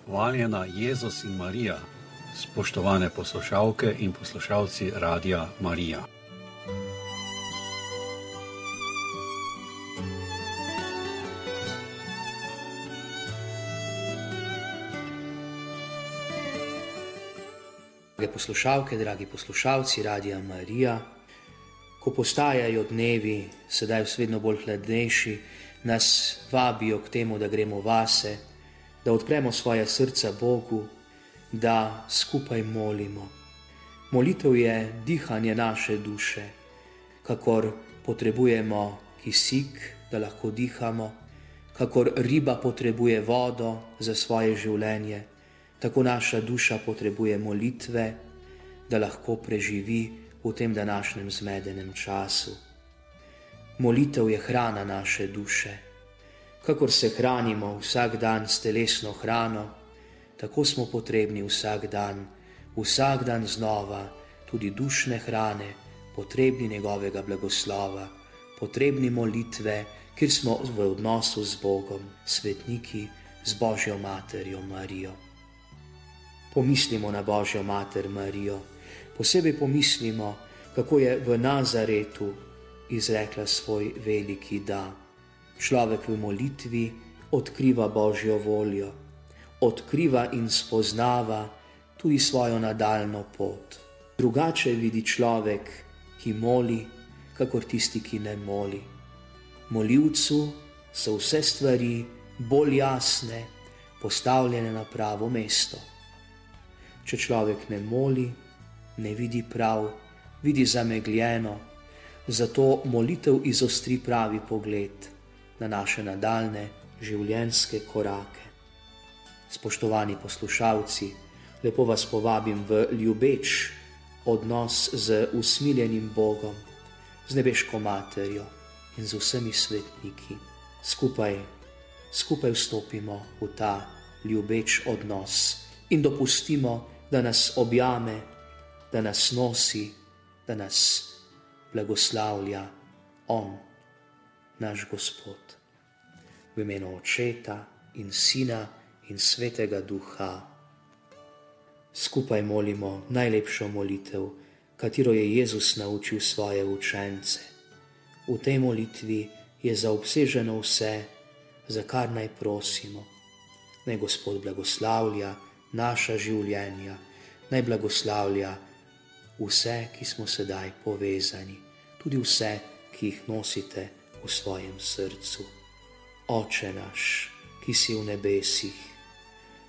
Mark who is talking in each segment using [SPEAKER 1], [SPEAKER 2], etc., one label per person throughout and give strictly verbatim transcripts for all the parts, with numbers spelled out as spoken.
[SPEAKER 1] Hvaljena Jezus in Marija, spoštovane poslušalke in poslušalci Radia Marija.
[SPEAKER 2] Drage poslušalke, dragi poslušalci Radia Marija, ko postajajo dnevi, sedaj vedno bolj hladnejši, nas vabijo k temu, da gremo vase, da odpremo svoja srca Bogu, da skupaj molimo. Molitev je dihanje naše duše, kakor potrebujemo kisik, da lahko dihamo, kakor riba potrebuje vodo za svoje življenje, tako naša duša potrebuje molitve, da lahko preživi v tem današnjem zmedenem času. Molitev je hrana naše duše. Kakor se hranimo vsak dan s telesno hrano, tako smo potrebni vsak dan, vsak dan znova, tudi dušne hrane, potrebni njegovega blagoslova, potrebni molitve, kjer smo v odnosu z Bogom, svetniki, z Božjo materjo Marijo. Pomislimo na Božjo mater Marijo, posebej pomislimo, kako je v Nazaretu izrekla svoj veliki da. Človek v molitvi odkriva Božjo voljo, odkriva in spoznava tudi svojo nadaljno pot. Drugače vidi človek, ki moli, kakor tisti, ki ne moli. Molivcu so vse stvari bolj jasne, postavljene na pravo mesto. Če človek ne moli, ne vidi prav, vidi zamegljeno, zato molitev izostri pravi pogled na naše nadaljne življenjske korake. Spoštovani poslušalci, lepo vas povabim v ljubeč odnos z usmiljenim Bogom, z nebeško materjo in z vsemi svetniki. Skupaj, skupaj vstopimo v ta ljubeč odnos in dopustimo, da nas objame, da nas nosi, da nas blagoslavlja On, naš Gospod. V imenu Očeta in Sina in Svetega Duha. Skupaj molimo najlepšo molitev, katero je Jezus naučil svoje učence. V tej molitvi je zaobseženo vse, za kar naj prosimo. Naj Gospod blagoslavlja naša življenja, naj blagoslavlja vse, ki smo sedaj povezani, tudi vse, ki jih nosite v svojem srcu. Oče naš, ki si v nebesih,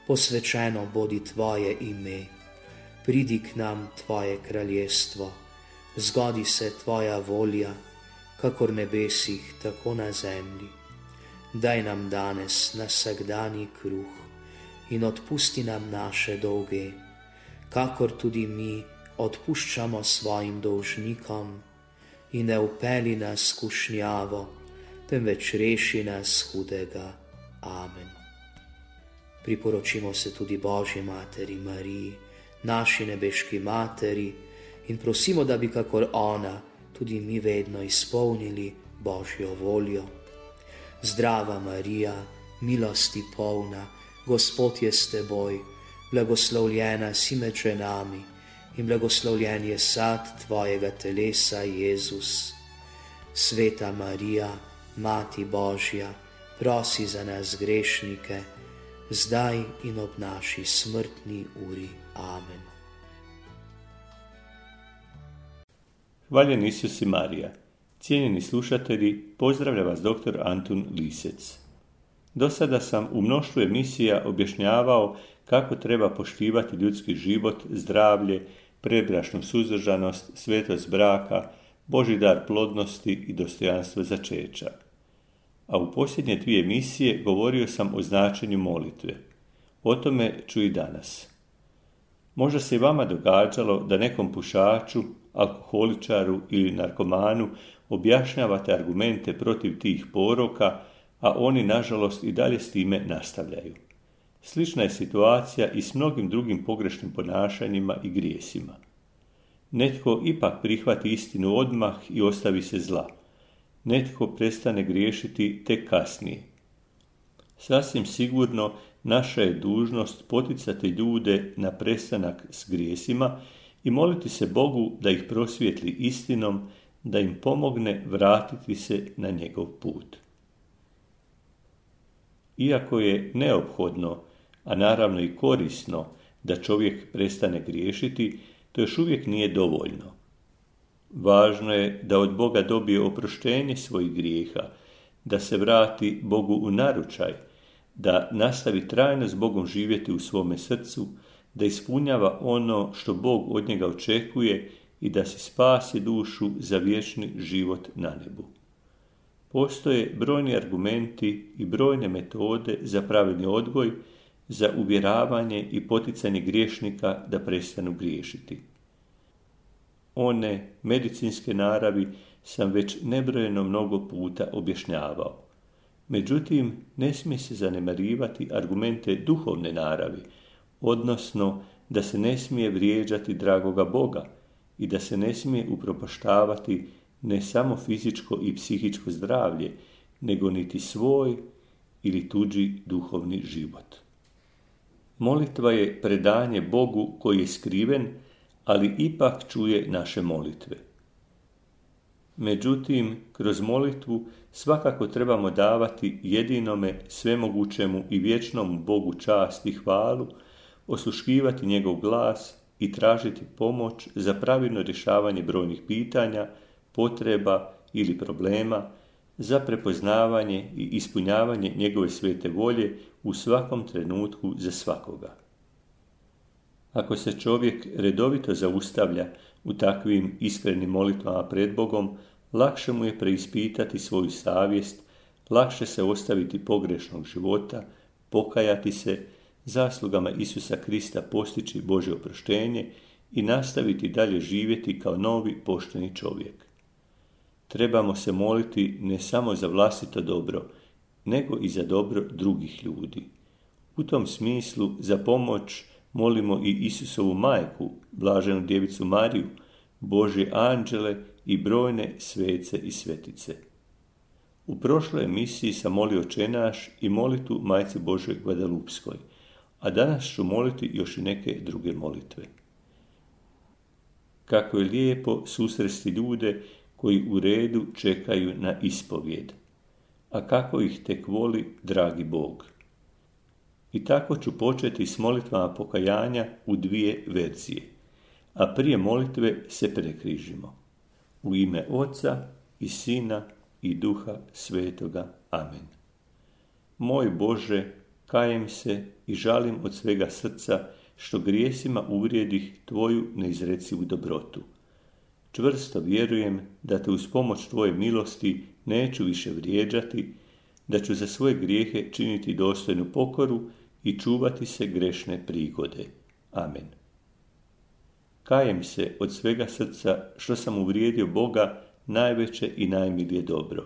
[SPEAKER 2] posvečeno bodi tvoje ime, pridi k nam tvoje kraljestvo, zgodi se tvoja volja, kakor nebesih, tako na zemlji. Daj nam danes na vsakdanji kruh in odpusti nam naše dolge, kakor tudi mi odpuščamo svojim dolžnikom, in ne vpelji nas v skušnjavo, temveč reši nas hudega. Amen. Priporočimo se tudi Božji materi Mariji, naši nebeški materi, in prosimo, da bi kakor ona tudi mi vedno izpolnili Božjo voljo. Zdrava Marija, milosti polna, Gospod je s teboj, blagoslovljena si med ženami in blagoslovljen je sad tvojega telesa, Jezus. Sveta Marija, Mati Božja, prosi za nas grešnike, zdaj in ob naši smrtni uri. Amen.
[SPEAKER 3] Hvaljen Isus i Marija. Cijenjeni slušatelji, pozdravlja vas doktor Antun Lisec. Do sada sam u mnoštvu emisija objašnjavao kako treba poštivati ljudski život, zdravlje, predbračnu suzdržanost, svetost braka, Božji dar plodnosti i dostojanstvo začeća. A u posljednje dvije emisije govorio sam o značenju molitve. O tome ću i danas. Možda se i vama događalo da nekom pušaču, alkoholičaru ili narkomanu objašnjavate argumente protiv tih poroka, a oni nažalost i dalje s time nastavljaju. Slična je situacija i s mnogim drugim pogrešnim ponašanjima i grijesima. Netko ipak prihvati istinu odmah i ostavi se zla. Netko prestane griješiti tek kasnije. Sasvim sigurno naša je dužnost poticati ljude na prestanak s grijesima i moliti se Bogu da ih prosvijetli istinom, da im pomogne vratiti se na njegov put. Iako je neophodno, a naravno i korisno, da čovjek prestane griješiti, to još uvijek nije dovoljno. Važno je da od Boga dobije oproštenje svojih grijeha, da se vrati Bogu u naručaj, da nastavi trajno s Bogom živjeti u svome srcu, da ispunjava ono što Bog od njega očekuje i da se spasi dušu za vječni život na nebu. Postoje brojni argumenti i brojne metode za pravilni odgoj, za uvjeravanje i poticanje griješnika da prestanu griješiti. One medicinske naravi sam već nebrojeno mnogo puta objašnjavao. Međutim, ne smije se zanemarivati argumente duhovne naravi, odnosno da se ne smije vrijeđati dragoga Boga i da se ne smije upropaštavati ne samo fizičko i psihičko zdravlje, nego niti svoj ili tuđi duhovni život. Molitva je predanje Bogu koji je skriven, ali ipak čuje naše molitve. Međutim, kroz molitvu svakako trebamo davati jedinome, svemogućemu i vječnom Bogu čast i hvalu, osluškivati njegov glas i tražiti pomoć za pravilno rješavanje brojnih pitanja, potreba ili problema, za prepoznavanje i ispunjavanje njegove svete volje u svakom trenutku za svakoga. Ako se čovjek redovito zaustavlja u takvim iskrenim molitvama pred Bogom, lakše mu je preispitati svoju savjest, lakše se ostaviti pogrešnog života, pokajati se, zaslugama Isusa Krista postići Božje oproštenje i nastaviti dalje živjeti kao novi pošteni čovjek. Trebamo se moliti ne samo za vlastito dobro, nego i za dobro drugih ljudi. U tom smislu za pomoć molimo i Isusovu majku, blaženu djevicu Mariju, Božje anđele i brojne svece i svetice. U prošloj emisiji sam molio Oče naš i molitu Majci Božoj Gvadalupskoj, a danas ću moliti još i neke druge molitve. Kako je lijepo susresti ljude koji u redu čekaju na ispovijed, a kako ih tek voli dragi Bog. I tako ću početi s molitvama pokajanja u dvije verzije, a prije molitve se prekrižimo. U ime Oca i Sina i Duha Svetoga. Amen. Moj Bože, kajem se i žalim od svega srca što grijesima uvrijedih Tvoju neizrecivu dobrotu. Čvrsto vjerujem da Te uz pomoć Tvoje milosti neću više vrijeđati, da ću za svoje grijehe činiti dostojnu pokoru i čuvati se grešne prigode. Amen. Kajem se od svega srca što sam uvrijedio Boga najveće i najmilije dobro.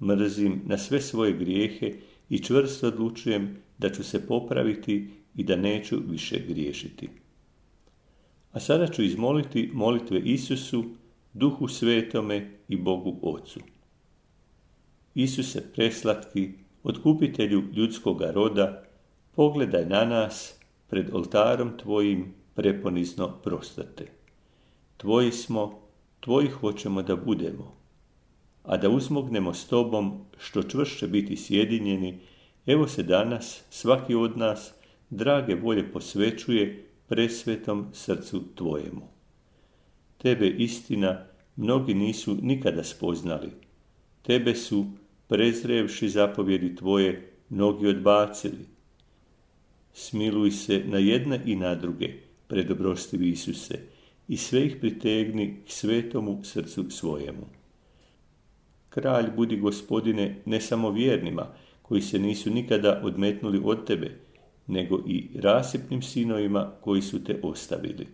[SPEAKER 3] Mrzim na sve svoje grijehe i čvrsto odlučujem da ću se popraviti i da neću više griješiti. A sada ću izmoliti molitve Isusu, Duhu Svetome i Bogu Ocu. Isuse preslatki, otkupitelju ljudskoga roda, pogledaj na nas pred oltarom Tvojim preponizno prostate. Tvoji smo, Tvoji hoćemo da budemo, a da uzmognemo s Tobom što čvršće biti sjedinjeni, evo se danas svaki od nas drage volje posvećuje presvetom srcu Tvojemu. Tebe istina mnogi nisu nikada spoznali, Tebe su, prezrevši zapovjedi Tvoje, mnogi odbacili. Smiluj se na jedne i na druge, predobrostivi Isuse, i sve ih pritegni k svetomu srcu svojemu. Kralj budi, Gospodine, ne samo vjernima, koji se nisu nikada odmetnuli od Tebe, nego i rasipnim sinovima koji su Te ostavili.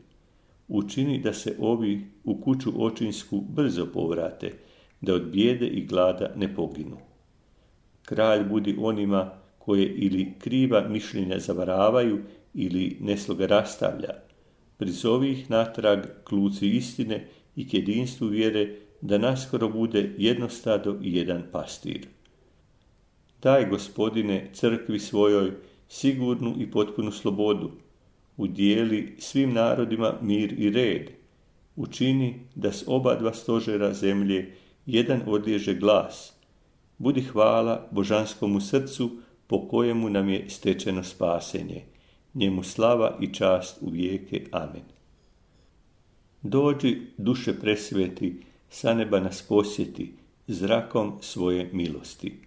[SPEAKER 3] Učini da se ovi u kuću očinsku brzo povrate, da od bijede i glada ne poginu. Kralj budi onima koje ili kriva mišljenja zavaravaju ili nesloga rastavlja. Prizovi ih natrag k luci istine i k jedinstvu vjere, da naskoro bude jedno stado i jedan pastir. Daj, Gospodine, crkvi svojoj sigurnu i potpunu slobodu. Udijeli svim narodima mir i red. Učini da s oba dva stožera zemlje jedan odliježe glas. Budi hvala božanskomu srcu po kojemu nam je stečeno spasenje. Njemu slava i čast u vijeke. Amen. Dođi, duše presveti, sa neba nas posjeti, zrakom svoje milosti.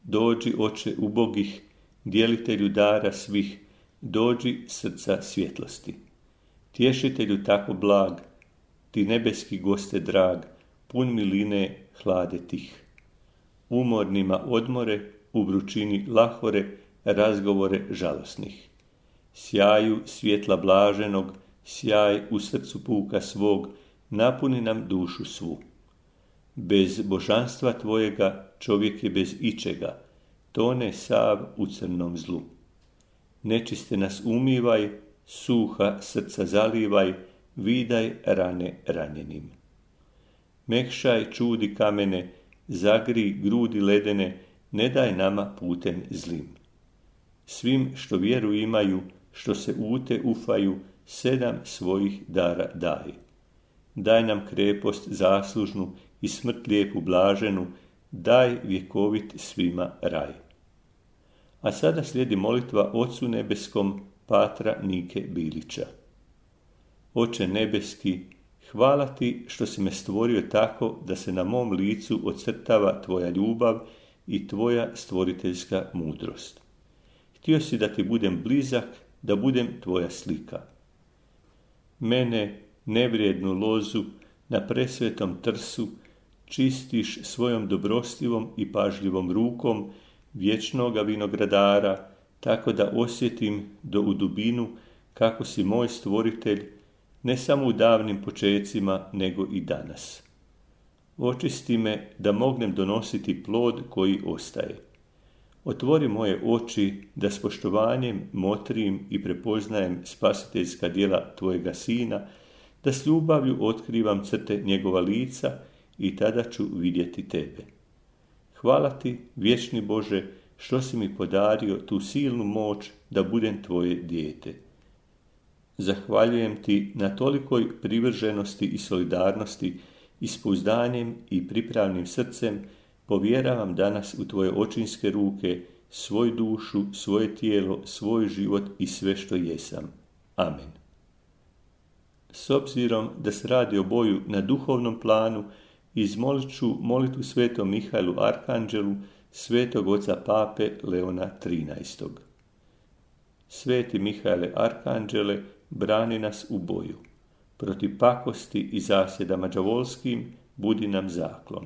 [SPEAKER 3] Dođi, oče ubogih, djelitelju dara svih, dođi srca svjetlosti. Tješitelju tako blag, ti nebeski goste drag, pun miline hlade tih. Umornima odmore, u vrućini lahore, razgovore žalosnih. Sjaju svjetla blaženog, sjaj u srcu puka svog, napuni nam dušu svu. Bez božanstva tvojega čovjek je bez ičega, tone sav u crnom zlu. Nečiste nas umivaj, suha srca zalivaj, vidaj rane ranjenim. Mekšaj čudi kamene, zagri grudi ledene, ne daj nama putem zlim. Svim što vjeru imaju, što se ute ufaju, sedam svojih dara daj. Daj nam krepost zaslužnu i smrt lijepu blaženu, daj vjekovit svima raj. A sada slijedi molitva Ocu nebeskom Patra Nike Bilića. Oče nebeski, hvala ti što si me stvorio tako da se na mom licu ocrtava tvoja ljubav i tvoja stvoriteljska mudrost. Htio si da ti budem blizak, da budem tvoja slika. Mene, nevrijednu lozu, na presvetom trsu, čistiš svojom dobrostivom i pažljivom rukom vječnoga vinogradara, tako da osjetim do u dubinu kako si moj stvoritelj, ne samo u davnim počecima, nego i danas. Očisti me da mognem donositi plod koji ostaje. Otvori moje oči da s poštovanjem motrim i prepoznajem spasiteljska djela tvojega sina, da s ljubavlju otkrivam crte njegova lica i tada ću vidjeti tebe. Hvala ti, vječni Bože, što si mi podario tu silnu moć da budem tvoje dijete. Zahvaljujem ti na tolikoj privrženosti i solidarnosti i s pouzdanjem i pripravnim srcem povjeravam danas u tvoje očinske ruke svoju dušu, svoje tijelo, svoj život i sve što jesam. Amen. S obzirom da se radi o boju na duhovnom planu, izmolit ću molitvu svetom Mihajlu Arkanđelu, svetog oca pape Leona trinaestog. Sveti Mihajle Arkanđele, brani nas u boju. Protiv pakosti i zasjedama đavolskim budi nam zaklon.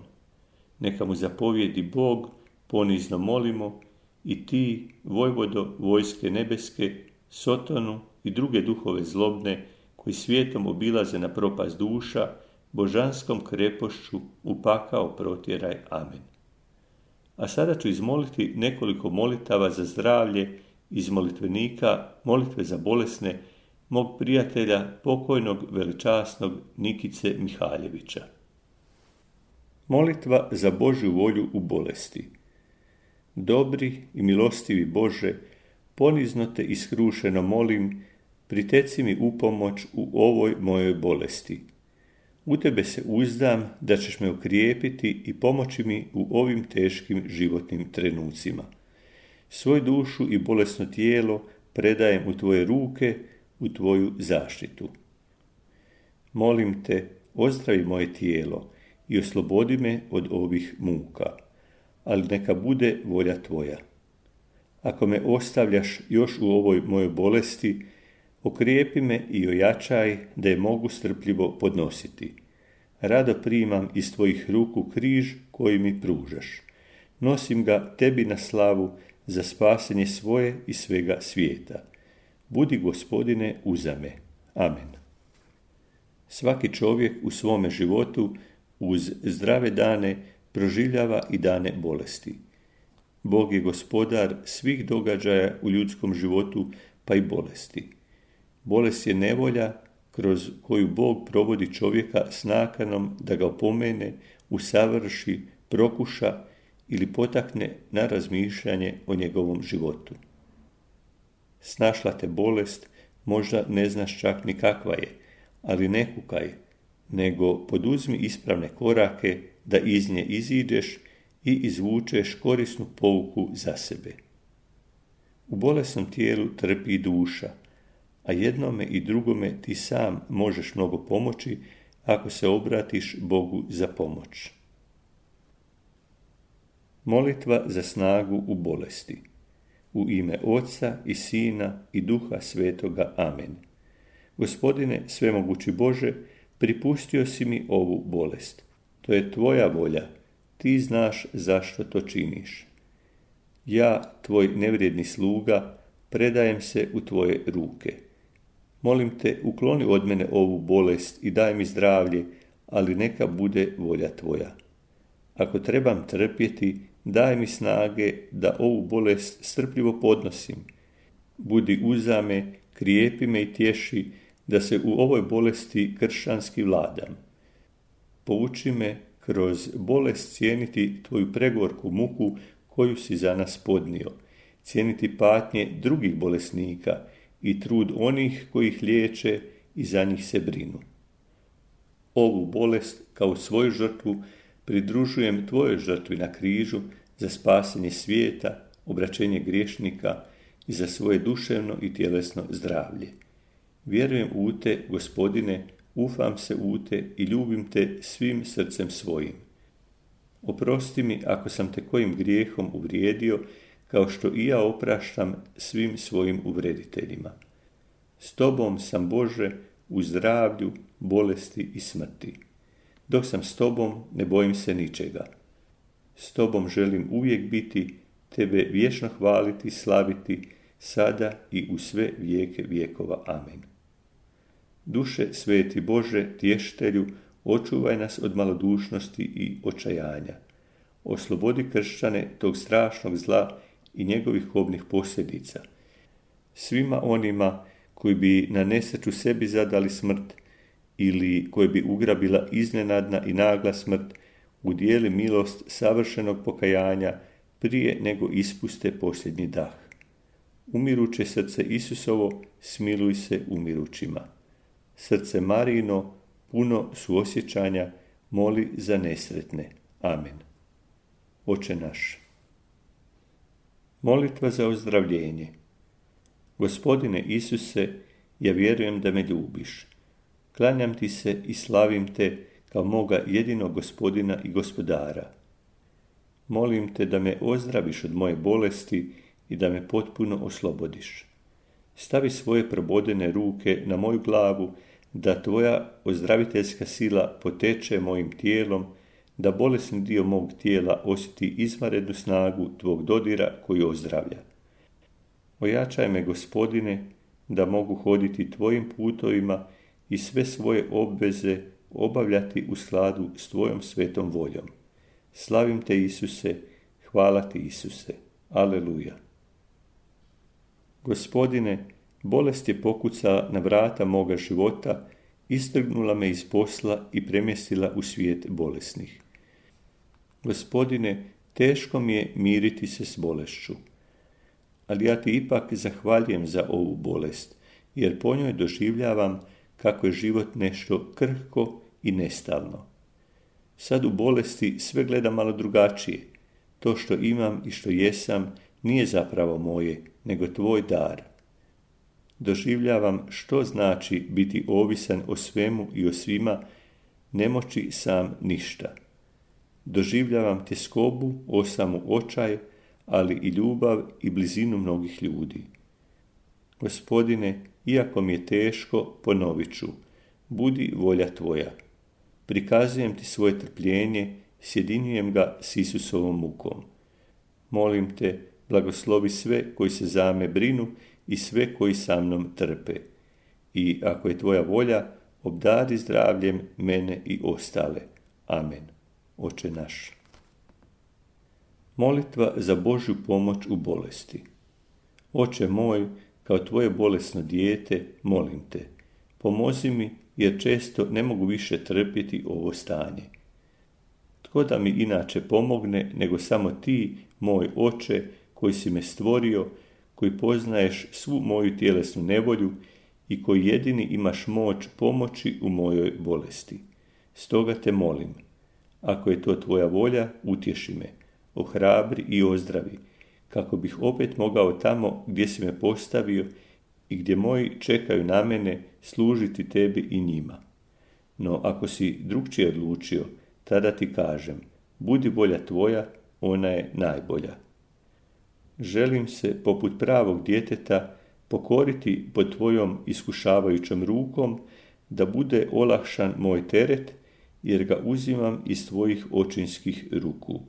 [SPEAKER 3] Neka mu zapovjedi Bog, ponizno molimo, i ti, vojvodo vojske nebeske, Sotonu i druge duhove zlobne, koji svijetom obilaze na propast duša, božanskom krepošću u pakao protjeraj. Amen. A sada ću izmoliti nekoliko molitava za zdravlje iz molitvenika molitve za bolesne mog prijatelja, pokojnog veličasnog Nikice Mihaljevića. Molitva za Božju volju u bolesti. Dobri i milostivi Bože, ponizno te iskrušeno molim, priteci mi u pomoć u ovoj mojoj bolesti. U tebe se uzdam da ćeš me okrijepiti i pomoći mi u ovim teškim životnim trenucima. Svoju dušu i bolesno tijelo predajem u tvoje ruke, u tvoju zaštitu. Molim te, ozdravi moje tijelo i oslobodi me od ovih muka, ali neka bude volja tvoja. Ako me ostavljaš još u ovoj mojoj bolesti, okrijepi me i ojačaj da je mogu strpljivo podnositi. Rado primam iz tvojih ruku križ koji mi pružaš. Nosim ga tebi na slavu za spasenje svoje i svega svijeta. Budi, Gospodine, uza me. Amen. Svaki čovjek u svome životu uz zdrave dane proživljava i dane bolesti. Bog je gospodar svih događaja u ljudskom životu, pa i bolesti. Bolest je nevolja kroz koju Bog provodi čovjeka s nakanom da ga opomene, usavrši, prokuša ili potakne na razmišljanje o njegovom životu. Snašla te bolest, možda ne znaš čak ni kakva je, ali ne kukaj, nego poduzmi ispravne korake da iz nje iziđeš i izvučeš korisnu pouku za sebe. U bolesnom tijelu trpi duša, a jednome i drugome ti sam možeš mnogo pomoći ako se obratiš Bogu za pomoć. Molitva za snagu u bolesti. U ime Oca i Sina i Duha Svetoga. Amen. Gospodine, svemogući Bože, pripustio si mi ovu bolest. To je tvoja volja. Ti znaš zašto to činiš. Ja, tvoj nevrijedni sluga, predajem se u tvoje ruke. Molim te, ukloni od mene ovu bolest i daj mi zdravlje, ali neka bude volja tvoja. Ako trebam trpjeti, daj mi snage da ovu bolest strpljivo podnosim. Budi uza me, krijepi me i tješi, da se u ovoj bolesti kršćanski vladam. Pouči me kroz bolest cijeniti tvoju pregorku muku koju si za nas podnio, cijeniti patnje drugih bolesnika i trud onih koji ih liječe i za njih se brinu. Ovu bolest kao svoju žrtvu pridružujem tvojoj žrtvi na križu za spasenje svijeta, obraćenje griješnika i za svoje duševno i tjelesno zdravlje. Vjerujem u te, Gospodine, ufam se u te i ljubim te svim srcem svojim. Oprosti mi ako sam te kojim grijehom uvrijedio, kao što i ja opraštam svim svojim uvrediteljima. S tobom sam, Bože, u zdravlju, bolesti i smrti. Dok sam s tobom, ne bojim se ničega. S tobom želim uvijek biti, tebe vječno hvaliti, slaviti, sada i u sve vijeke vjekova. Amen. Duše sveti Bože, tještelju, očuvaj nas od malodušnosti i očajanja. Oslobodi kršćane tog strašnog zla i njegovih kobnih posljedica. Svima onima koji bi na nesreću sebi zadali smrt ili koji bi ugrabila iznenadna i nagla smrt, udijeli milost savršenog pokajanja prije nego ispuste posljednji dah. Umiruće srce Isusovo, smiluj se umirućima. Srce Marijino, puno suosjećanja, moli za nesretne. Amen. Oče naš. Molitva za ozdravljenje. Gospodine Isuse, ja vjerujem da me ljubiš. Klanjam ti se i slavim te kao moga jedinog Gospodina i Gospodara. Molim te da me ozdraviš od moje bolesti i da me potpuno oslobodiš. Stavi svoje probodene ruke na moju glavu, da tvoja ozdraviteljska sila poteče mojim tijelom, da bolesni dio mog tijela osjeti izvanrednu snagu tvog dodira koji ozdravlja. Ojačaj me, Gospodine, da mogu hoditi tvojim putovima i sve svoje obveze obavljati u skladu s tvojom svetom voljom. Slavim te, Isuse, hvala ti, Isuse. Aleluja. Gospodine, bolest je pokucala na vrata moga života, istrgnula me iz posla i premjestila u svijet bolesnih. Gospodine, teško mi je miriti se s bolešću, ali ja ti ipak zahvaljujem za ovu bolest, jer po njoj doživljavam kako je život nešto krhko i nestalno. Sad u bolesti sve gledam malo drugačije. To što imam i što jesam nije zapravo moje, nego tvoj dar. Doživljavam što znači biti ovisan o svemu i o svima, ne moći sam ništa. Doživljavam tjeskobu, osamu očaj, ali i ljubav i blizinu mnogih ljudi. Gospodine, iako mi je teško, ponovit ću, budi volja tvoja. Prikazujem ti svoje trpljenje, sjedinjujem ga s Isusovom mukom. Molim te, blagoslovi sve koji se za me brinu i sve koji sa mnom trpe. I ako je tvoja volja, obdari zdravljem mene i ostale. Amen. Oče naš. Molitva za Božju pomoć u bolesti. Oče moj, kao tvoje bolesno dijete, molim te, pomozi mi, jer često ne mogu više trpjeti ovo stanje. Tko da mi inače pomogne, nego samo ti, moj Oče, koji si me stvorio, koji poznaješ svu moju tjelesnu nevolju i koji jedini imaš moć pomoći u mojoj bolesti. Stoga te molim, ako je to tvoja volja, utješi me, ohrabri i ozdravi, kako bih opet mogao tamo gdje si me postavio i gdje moji čekaju na mene služiti tebi i njima. No ako si drugčije odlučio, tada ti kažem, budi volja tvoja, ona je najbolja. Želim se, poput pravog djeteta, pokoriti pod tvojom iskušavajućom rukom, da bude olakšan moj teret, jer ga uzimam iz tvojih očinskih ruku.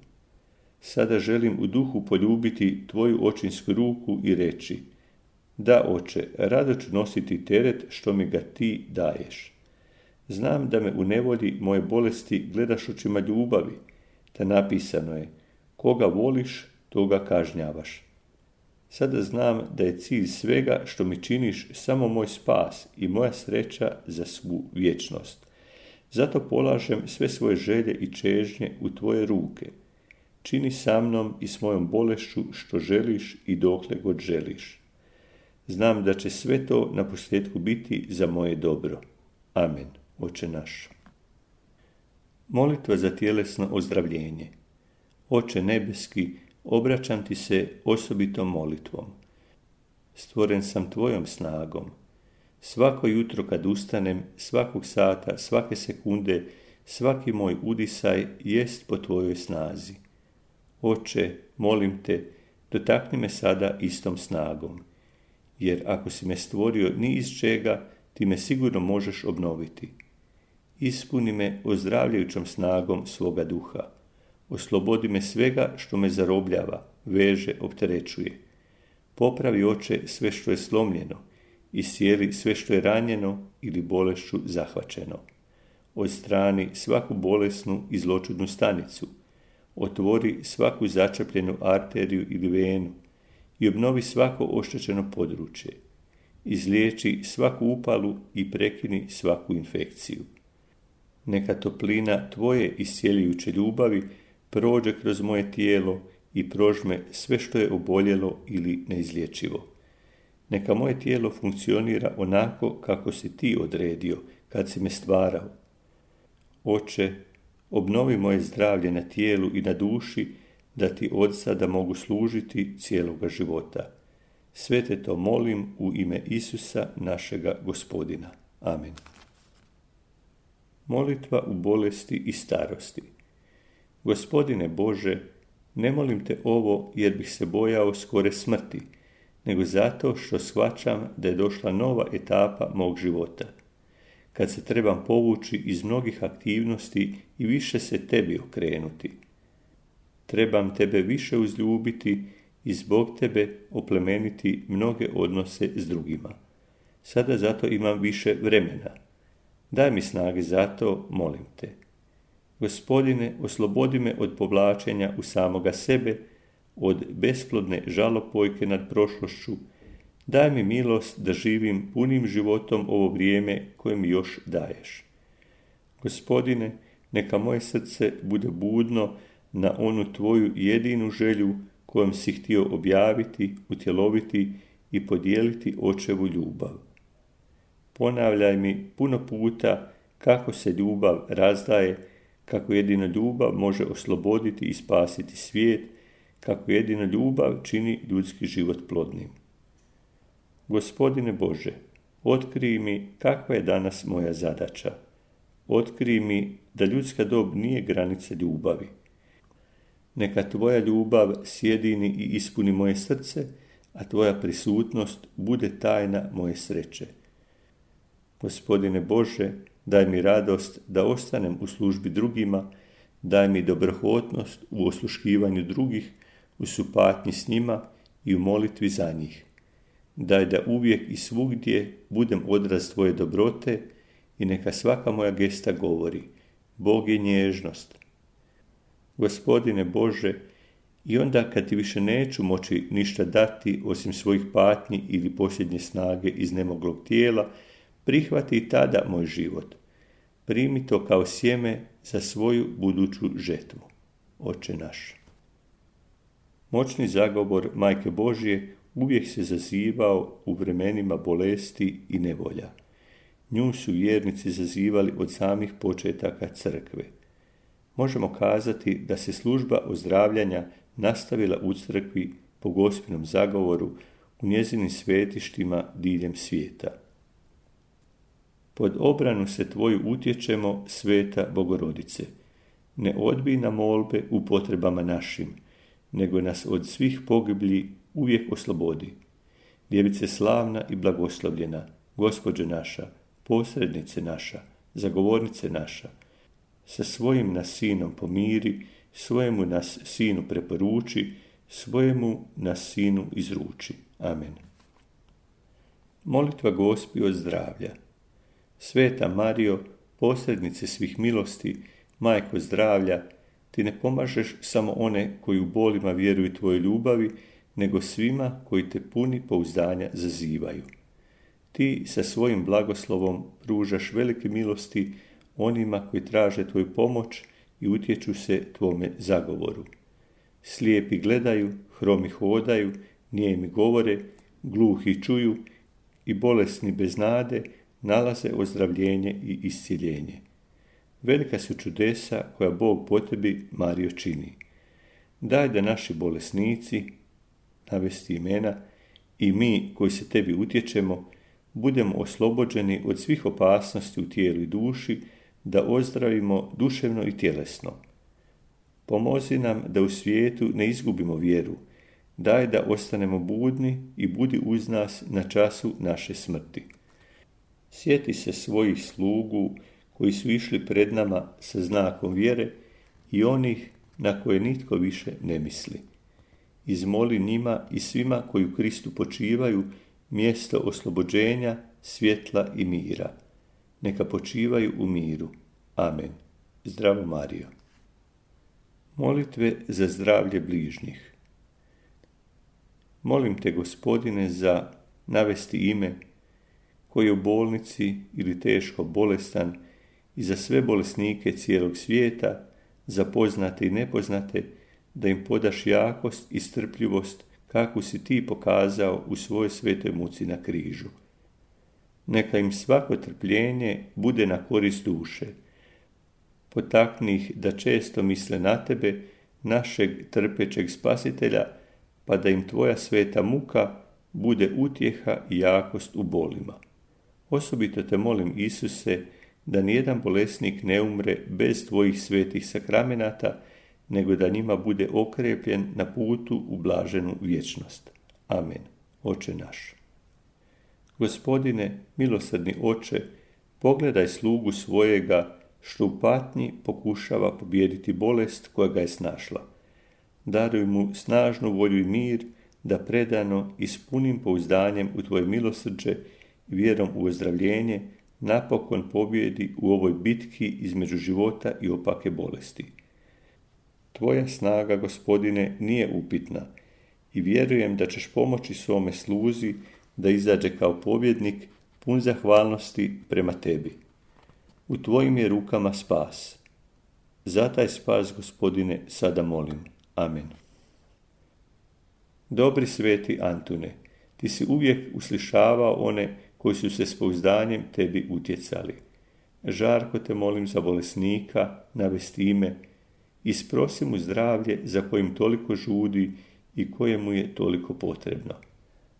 [SPEAKER 3] Sada želim u duhu poljubiti tvoju očinsku ruku i reći, da, oče, rado ću nositi teret što mi ga ti daješ. Znam da me u nevolji moje bolesti gledaš očima ljubavi, te napisano je, koga voliš, toga kažnjavaš. Sada znam da je cilj svega što mi činiš samo moj spas i moja sreća za svu vječnost. Zato polažem sve svoje želje i čežnje u tvoje ruke. Čini sa mnom i s mojom bolešću što želiš i dokle god želiš. Znam da će sve to na posljedku biti za moje dobro. Amen, Oče naš. Molitva za tjelesno ozdravljenje. Oče nebeski, obraćam ti se osobitom molitvom. Stvoren sam tvojom snagom. Svako jutro kad ustanem, svakog sata, svake sekunde, svaki moj udisaj jest po tvojoj snazi. Oče, molim te, dotakni me sada istom snagom, jer ako si me stvorio ni iz čega, ti me sigurno možeš obnoviti. Ispuni me ozdravljajućom snagom svoga duha. Oslobodi me svega što me zarobljava, veže, opterećuje. Popravi, Oče, sve što je slomljeno, iscijeli sve što je ranjeno ili bolešću zahvaćeno. Odstrani svaku bolesnu i zloćudnu stanicu. Otvori svaku začepljenu arteriju ili venu i obnovi svako oštećeno područje. Izliječi svaku upalu i prekini svaku infekciju. Neka toplina tvoje iscijeljujuće ljubavi prođe kroz moje tijelo i prožme sve što je oboljelo ili neizlječivo. Neka moje tijelo funkcionira onako kako si ti odredio kad si me stvarao. Oče, obnovi moje zdravlje na tijelu i na duši, da ti od sada mogu služiti cijeloga života. Sve te to molim u ime Isusa, našega Gospodina. Amen. Molitva u bolesti i starosti. Gospodine Bože, ne molim te ovo jer bih se bojao skore smrti, nego zato što shvaćam da je došla nova etapa mog života, kad se trebam povući iz mnogih aktivnosti i više se tebi okrenuti. Trebam tebe više uzljubiti i zbog tebe oplemeniti mnoge odnose s drugima. Sada zato imam više vremena. Daj mi snage za to, molim te. Gospodine, oslobodi me od povlačenja u samoga sebe, od besplodne žalopojke nad prošlošću. Daj mi milost da živim punim životom ovo vrijeme koje mi još daješ. Gospodine, neka moje srce bude budno na onu tvoju jedinu želju kojom si htio objaviti, utjeloviti i podijeliti očevu ljubav. Ponavljaj mi puno puta kako se ljubav razdaje, kako jedino ljubav može osloboditi i spasiti svijet, kako jedino ljubav čini ljudski život plodnim. Gospodine Bože, otkrij mi kakva je danas moja zadaća. Otkrij mi da ljudska dob nije granica ljubavi. Neka tvoja ljubav sjedini i ispuni moje srce, a tvoja prisutnost bude tajna moje sreće. Gospodine Bože, daj mi radost da ostanem u službi drugima, daj mi dobrohotnost u osluškivanju drugih, u supatnji s njima i u molitvi za njih. Daj da uvijek i svugdje budem odraz tvoje dobrote i neka svaka moja gesta govori, Bog je nježnost. Gospodine Bože, i onda kad ti više neću moći ništa dati osim svojih patnji ili posljednje snage iz nemoglog tijela, prihvati i tada moj život. Primi to kao sjeme za svoju buduću žetvu. Oče naš. Moćni zagovor Majke Božje uvijek se zazivao u vremenima bolesti i nevolja. Nju su vjernici zazivali od samih početaka crkve. Možemo kazati da se služba ozdravljanja nastavila u crkvi po Gospinom zagovoru u njezinim svetištima diljem svijeta. Pod obranu se tvoju utječemo, Sveta Bogorodice. Ne odbij nam molbe u potrebama našim, nego nas od svih pogiblji uvijek oslobodi. Djevice slavna i blagoslovljena, Gospođe naša, posrednice naša, zagovornice naša, sa svojim nas sinom pomiri, svojemu nas sinu preporuči, svojemu nas sinu izruči. Amen. Molitva Gospi od zdravlja. Sveta Marijo, posrednice svih milosti, Majko zdravlja, ti ne pomažeš samo one koji u bolima vjeruju tvojoj ljubavi, nego svima koji te puni pouzdanja zazivaju. Ti sa svojim blagoslovom pružaš velike milosti onima koji traže tvoju pomoć i utječu se tvome zagovoru. Slijepi gledaju, hromi hodaju, nijemi govore, gluhi čuju i bolesni bez nade nalaze ozdravljenje i iscjeljenje. Velika su čudesa koja Bog po tebi, Marijo, čini. Daj da naši bolesnici, navesti imena, i mi koji se tebi utječemo, budemo oslobođeni od svih opasnosti u tijelu i duši, da ozdravimo duševno i tjelesno. Pomozi nam da u svijetu ne izgubimo vjeru. Daj da ostanemo budni i budi uz nas na času naše smrti. Sjeti se svojih slugu koji su išli pred nama sa znakom vjere i onih na koje nitko više ne misli. Izmoli njima i svima koji u Kristu počivaju mjesto oslobođenja, svjetla i mira. Neka počivaju u miru. Amen. Zdravo Marijo. Molitve za zdravlje bližnjih. Molim te, Gospodine, za navesti ime koji je u bolnici ili teško bolestan i za sve bolesnike cijelog svijeta, za poznate i nepoznate, da im podaš jakost i strpljivost kakvu si ti pokazao u svojoj svetoj muci na križu. Neka im svako trpljenje bude na korist duše. Potakni ih da često misle na tebe, našeg trpećeg spasitelja, pa da im tvoja sveta muka bude utjeha i jakost u bolima. Osobito te molim, Isuse, da nijedan bolesnik ne umre bez tvojih svetih sakramenata, nego da njima bude okrepljen na putu u blaženu vječnost. Amen. Oče naš. Gospodine, milosrdni Oče, pogledaj slugu svojega što u patnji pokušava pobijediti bolest koja ga je snašla. Daruj mu snažnu volju i mir da predano i s punim pouzdanjem u tvoje milosrđe i vjerom u ozdravljenje napokon pobjedi u ovoj bitki između života i opake bolesti. Tvoja snaga, Gospodine, nije upitna i vjerujem da ćeš pomoći svome sluzi da izađe kao pobjednik pun zahvalnosti prema tebi. U tvojim je rukama spas. Za taj spas, Gospodine, sada molim. Amen. Dobri sveti Antune, ti si uvijek uslišavao one koji su se s pouzdanjem tebi utjecali. Žarko te molim za bolesnika, navesti ime, isprosi mu zdravlje za kojim toliko žudi i kojemu je toliko potrebno.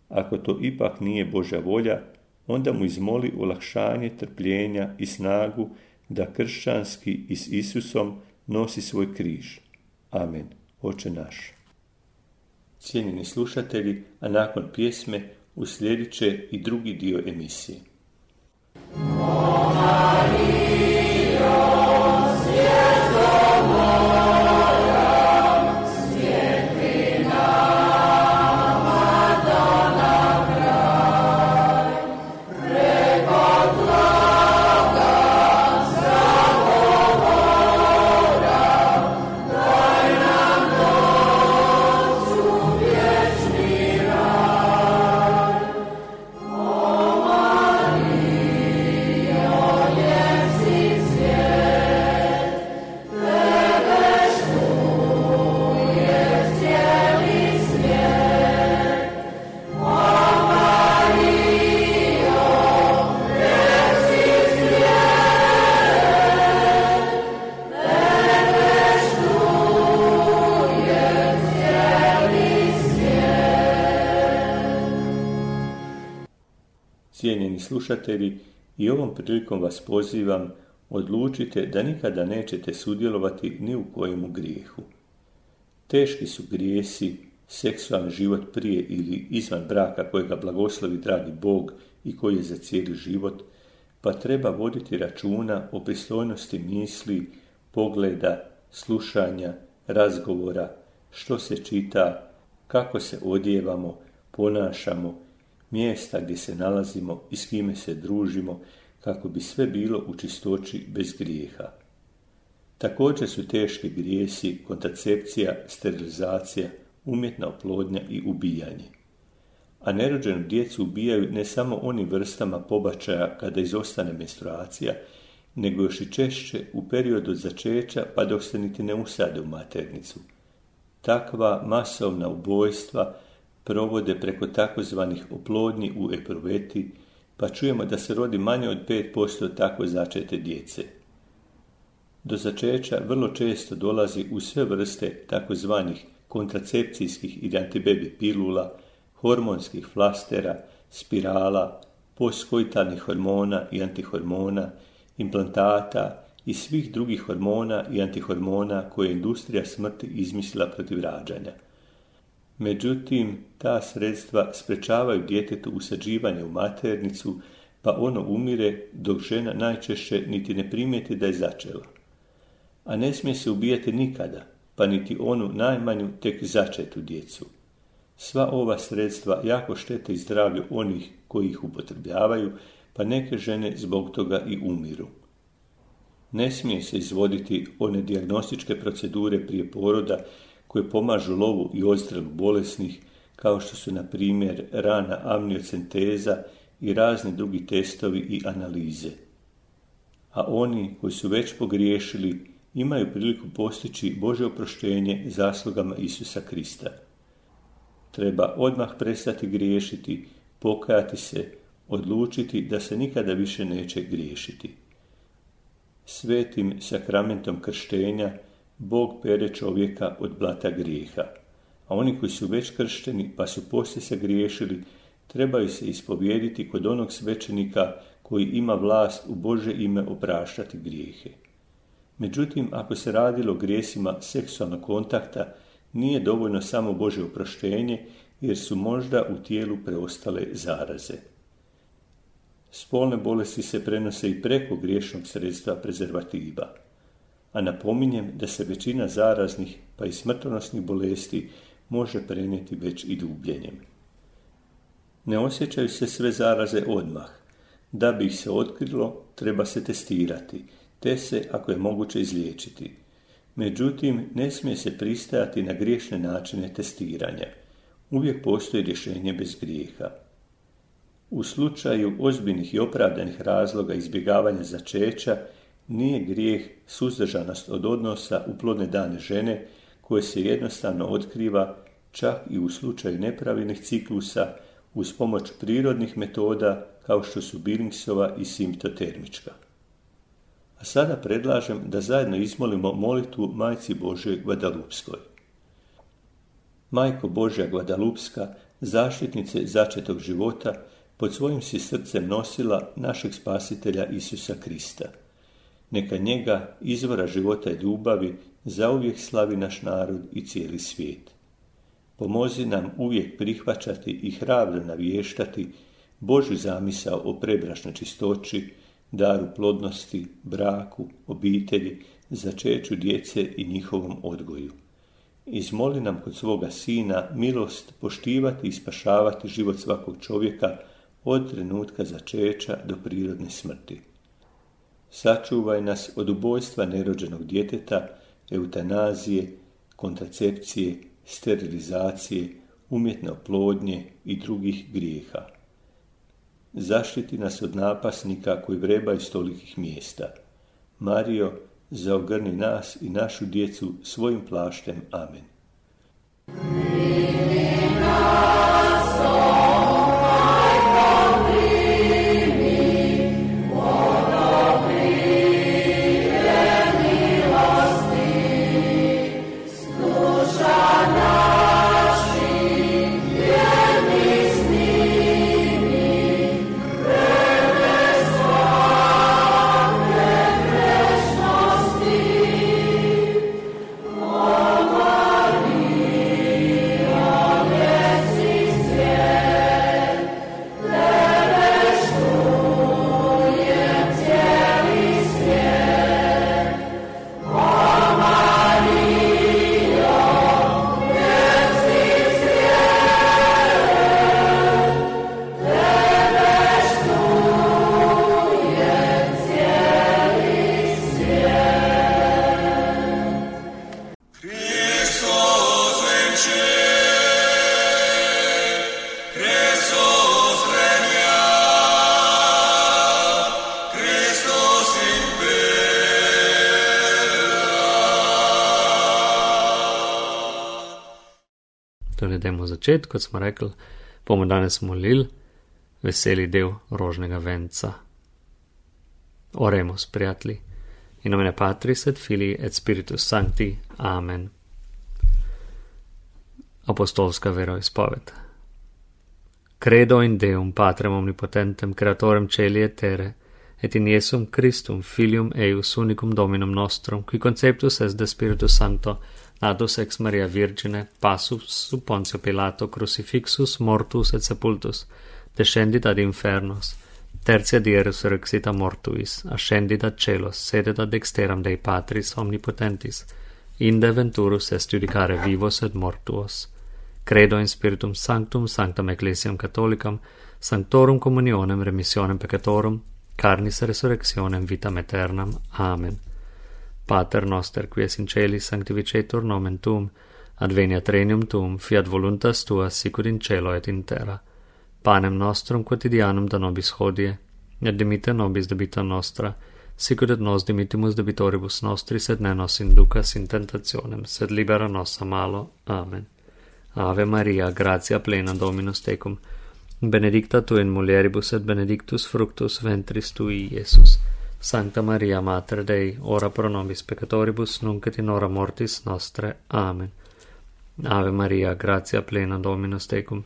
[SPEAKER 3] Ako to ipak nije Božja volja, onda mu izmoli olakšanje trpljenja i snagu da kršćanski i s Isusom nosi svoj križ. Amen. Oče naš. Cijenjeni slušatelji, a nakon pjesme uslijedit će i drugi dio emisije.
[SPEAKER 4] Yes.
[SPEAKER 3] Cijenjeni slušatelji, i ovom prilikom vas pozivam, odlučite da nikada nećete sudjelovati ni u kojemu grijehu. Teški su grijesi, seksualni život prije ili izvan braka kojega blagoslovi dragi Bog i koji je za cijeli život, pa treba voditi računa o pristojnosti misli, pogleda, slušanja, razgovora, što se čita, kako se odjevamo, ponašamo, mjesta gdje se nalazimo i s kime se družimo, kako bi sve bilo u čistoći bez grijeha. Također su teški grijesi kontracepcija, sterilizacija, umjetna oplodnja i ubijanje. A nerođenu djecu ubijaju ne samo onim vrstama pobačaja kada izostane menstruacija, nego još i češće u periodu od začeća pa dok se niti ne usade u maternicu. Takva masovna ubojstva provode preko takozvanih oplodnji u epruveti, pa čujemo da se rodi manje od pet posto tako začete djece. Do začeća vrlo često dolazi u sve vrste takozvanih kontracepcijskih ili antibebi pilula, hormonskih flastera, spirala, postkoitalnih hormona i antihormona, implantata i svih drugih hormona i antihormona koje je industrija smrti izmislila protiv rađanja. Međutim, ta sredstva sprečavaju djetetu usađivanje u maternicu, pa ono umire dok žena najčešće niti ne primijeti da je začela. A ne smije se ubijati nikada, pa niti onu najmanju tek začetu djecu. Sva ova sredstva jako štete i zdravlju onih koji ih upotrebljavaju, pa neke žene zbog toga i umiru. Ne smije se izvoditi one dijagnostičke procedure prije poroda koje pomažu lovu i odstrelu bolesnih, kao što su, na primjer, rana amniocenteza i razni drugi testovi i analize. A oni koji su već pogriješili imaju priliku postići Božje oproštenje zaslugama Isusa Krista. Treba odmah prestati griješiti, pokajati se, odlučiti da se nikada više neće griješiti. Svetim sakramentom krštenja Bog pere čovjeka od blata grijeha, a oni koji su već kršteni pa su poslije se griješili, trebaju se ispovijediti kod onog svećenika koji ima vlast u Božje ime opraštati grijehe. Međutim, ako se radilo o grijesima seksualnog kontakta, nije dovoljno samo Božje oproštenje, jer su možda u tijelu preostale zaraze. Spolne bolesti se prenose i preko griješnog sredstva prezervativa, a napominjem da se većina zaraznih pa i smrtonosnih bolesti može prenijeti već i dubljenjem. Ne osjećaju se sve zaraze odmah. Da bi ih se otkrilo, treba se testirati, te se, ako je moguće, izliječiti. Međutim, ne smije se pristajati na griješne načine testiranja. Uvijek postoji rješenje bez grijeha. U slučaju ozbiljnih i opravdanih razloga izbjegavanja začeća, nije grijeh suzdržanost od odnosa u plodne dane žene, koje se jednostavno otkriva čak i u slučaju nepravilnih ciklusa uz pomoć prirodnih metoda kao što su Billingsova i simptotermička. A sada predlažem da zajedno izmolimo molitvu Majci Božjoj Guadalupskoj. Majko Božja Guadalupska, zaštitnice začetog života, pod svojim si srcem nosila našeg spasitelja Isusa Krista. Neka njega, izvora života i ljubavi, zauvijek slavi naš narod i cijeli svijet. Pomozi nam uvijek prihvaćati i hrabro navještati Božju zamisao o prebračnoj čistoći, daru plodnosti, braku, obitelji, začeću djece i njihovom odgoju. Izmoli nam kod svoga Sina milost poštivati i spašavati život svakog čovjeka od trenutka začeća do prirodne smrti. Sačuvaj nas od ubojstva nerođenog djeteta, eutanazije, kontracepcije, sterilizacije, umjetne oplodnje i drugih grijeha. Zaštiti nas od napasnika koji vrebaju s tolikih mjesta. Marijo, zaogrni nas i našu djecu svojim plaštem. Amen.
[SPEAKER 4] Amen. smo začeti, kot smo rekli, bomo danes molili veseli del rožnega venca. Oremus, prijatelji, in nomine Patris et Filii et Spiritus Sancti. Amen. Apostolska veroizpoved. Credo in Deum Patrem omnipotentem, creatorem celi et terre, et in Iesum Christum, Filium eius unicum Dominum nostrum, qui conceptus est de Spiritus Sancto, natus ex Maria Virgine, passus sub Pontio Pilato, crucifixus, mortus et sepultus, descendit ad infernos, tertia die resurrexit a mortuis, ascendit ad celos, sedet ad dexteram Dei Patris omnipotentis, inde venturus est judicare vivos et mortuos. Credo in Spiritum Sanctum, Sanctam Ecclesiam Catholicam, Sanctorum Communionem, Remissionem Peccatorum, Carnis Resurrectionem, Vitam Aeternam. Amen. Pater noster, qui es in celis, sanctificetur nomen tuum, adveniat regnum tuum, fiat voluntas tua, sicut in cielo et in terra. Panem nostrum quotidianum da nobis hodie, et dimite nobis debita nostra, sicut et nos dimitimus debitoribus nostris, et ne nos inducas in tentationem, sed libera nos a malo. Amen. Ave Maria, gratia plena, Dominus tecum, benedicta tu in mulieribus et benedictus fructus ventris tui, Iesus. Sancta Maria, Mater Dei, ora pro nobis peccatoribus, nunc et in hora mortis nostre. Amen. Ave Maria, gratia plena, Dominus tecum,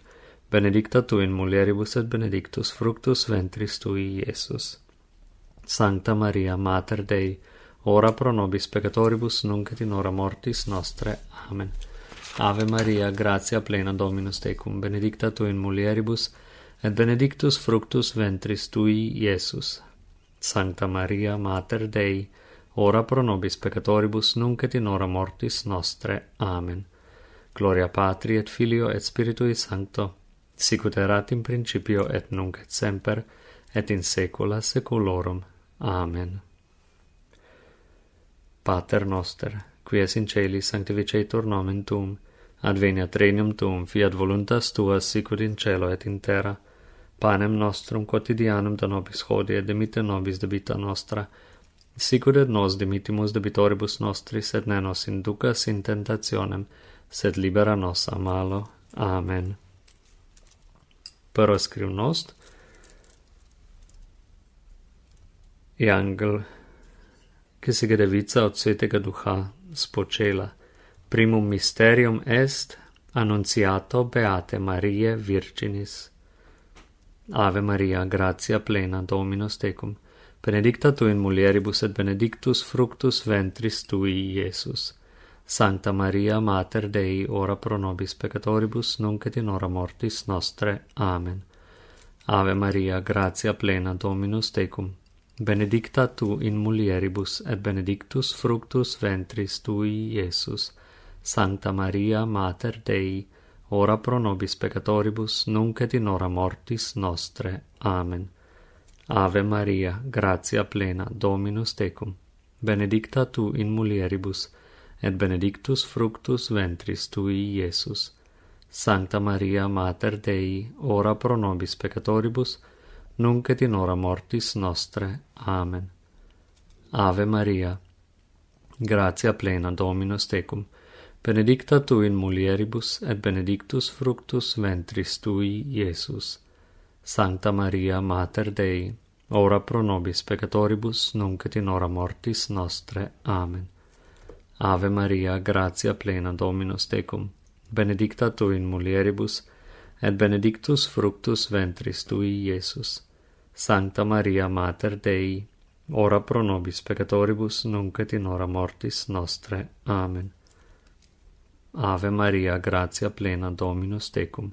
[SPEAKER 4] benedicta tu in mulieribus et benedictus fructus ventris tui, Iesus. Sancta Maria, Mater Dei, ora pro nobis peccatoribus, nunc et in hora mortis nostre. Amen. Ave Maria, gratia plena, Dominus tecum, benedicta tu in mulieribus, et benedictus fructus ventris tui, Iesus. Sancta Maria, Mater Dei, ora pro nobis peccatoribus, nunc et in hora mortis nostre. Amen. Gloria Patri et Filio et Spiritui Sancto, sicut erat in principio et nunc et semper, et in saecula saeculorum. Amen. Pater noster, qui es in celis, sanctificetur nomen tuum, adveniat regnum tuum, fiat voluntas tua, sicut in cielo et in terra. Panem nostrum quotidianum da nobis hodie, et dimite nobis debita nostra, sicut et nos dimitimus debitoribus nostris, et ne nos inducas in tentationem, sed libera nos a malo. Amen. Prvo skrivnost. I angel, ki si ga devica od svetega duha spočela. Primum mysterium est annunciato Beate Mariae Virginis. Ave Maria, gratia plena, Dominus tecum, benedicta tu in mulieribus et benedictus fructus ventris tui, Iesus. Sancta Maria, Mater Dei, ora pro nobis peccatoribus, nunc et in hora mortis nostre. Amen. Ave Maria, gratia plena, Dominus tecum, benedicta tu in mulieribus et benedictus fructus ventris tui, Iesus. Sancta Maria, Mater Dei, ora pro nobis peccatoribus, nunc et in hora mortis nostre. Amen. Ave Maria, gratia plena, Dominus tecum, benedicta tu in mulieribus, et benedictus fructus ventris tui, Iesus. Sancta Maria, Mater Dei, ora pro nobis peccatoribus, nunc et in hora mortis nostre. Amen. Ave Maria, gratia plena, Dominus tecum, benedicta tu in mulieribus, et benedictus fructus ventris tui, Iesus. Sancta Maria, Mater Dei, ora pro nobis peccatoribus, nunc et in hora mortis nostre. Amen. Ave Maria, gratia plena, Dominus tecum, benedicta tu in mulieribus, et benedictus fructus ventris tui, Iesus. Sancta Maria, Mater Dei, ora pro nobis peccatoribus, nunc et in hora mortis nostre. Amen. Ave Maria, gratia plena, Dominus tecum,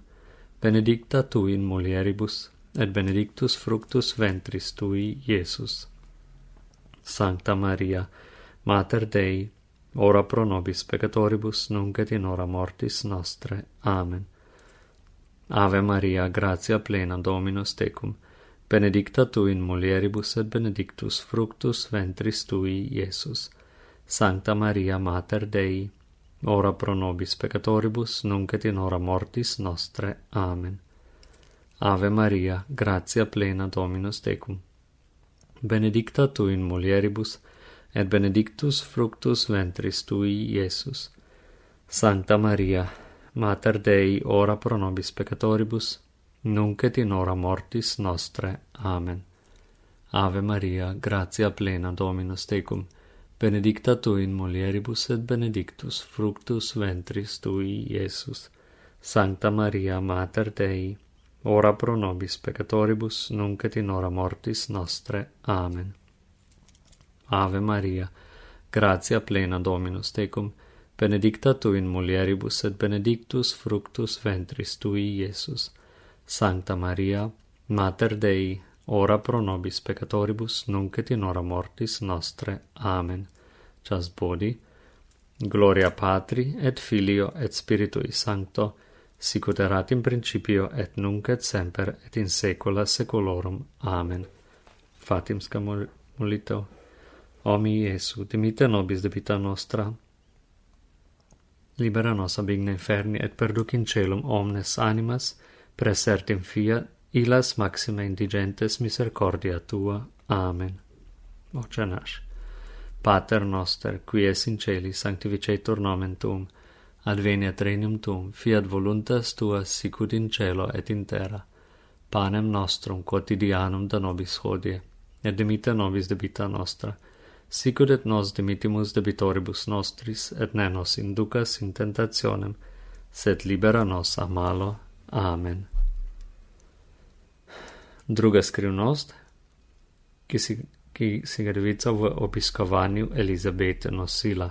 [SPEAKER 4] benedicta tu in mulieribus, et benedictus fructus ventris tui, Iesus. Sancta Maria, Mater Dei, ora pro nobis peccatoribus, nunc et in hora mortis nostre. Amen. Ave Maria, gratia plena, Dominus tecum, benedicta tu in mulieribus, et benedictus fructus ventris tui, Iesus. Sancta Maria, Mater Dei, ora pro nobis peccatoribus, nunc et in hora mortis nostre. Amen. Ave Maria, gratia plena, Dominus tecum, benedicta tu in mulieribus, et benedictus fructus ventris tui, Iesus. Sancta Maria, Mater Dei, ora pro nobis peccatoribus, nunc et in hora mortis nostre. Amen. Ave Maria, gratia plena, Dominus tecum, benedicta tu in mulieribus et benedictus fructus ventris tui, Iesus. Sancta Maria, Mater Dei, ora pro nobis peccatoribus, nunc et in hora mortis nostre. Amen. Ave Maria, gratia plena, Dominus tecum, benedicta tu in mulieribus et benedictus fructus ventris tui, Iesus. Sancta Maria, Mater Dei, ora pro nobis peccatoribus, nunc et in hora mortis nostre. Amen. Chas bodi, gloria Patri, et Filio, et Spiritui Sancto, sic ut erat in principio, et nunc et semper, et in saecula saeculorum. Amen. Fatim scamolito. O mi Iesu, dimite nobis debita nostra, libera nos ab igna inferni, et perduc in celum omnes animas, praesert in fiat, illas maxima indigentes misericordia tua. Amen. Voce nas. Pater noster, qui es in celi, sanctificetur nomen tuum, adveniat regnum tuum, fiat voluntas tua sicut in cielo et in terra. Panem nostrum quotidianum da nobis hodie, et dimite nobis debita nostra, sicut et nos dimitimus debitoribus nostris, et ne nos inducas in tentationem, sed libera nos a malo. Amen. Druga skrivnost, ki si, ki si ga devica v obiskovanju Elizabete nosila.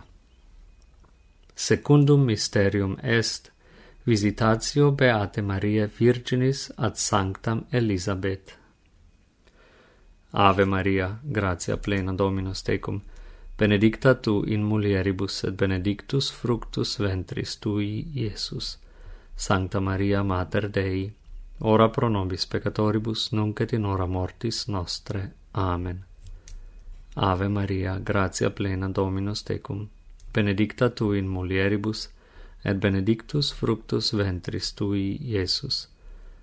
[SPEAKER 4] Secundum mysterium est visitatio Beate Mariae Virginis ad sanctam Elisabeth. Ave Maria, gratia plena, Dominus tecum, benedicta tu in mulieribus et benedictus fructus ventris tui, Iesus. Sancta Maria, Mater Dei, ora pro nobis peccatoribus, nunc et in hora mortis nostre. Amen. Ave Maria, gratia plena, Dominus tecum, benedicta tu in mulieribus, et benedictus fructus ventris tui, Iesus.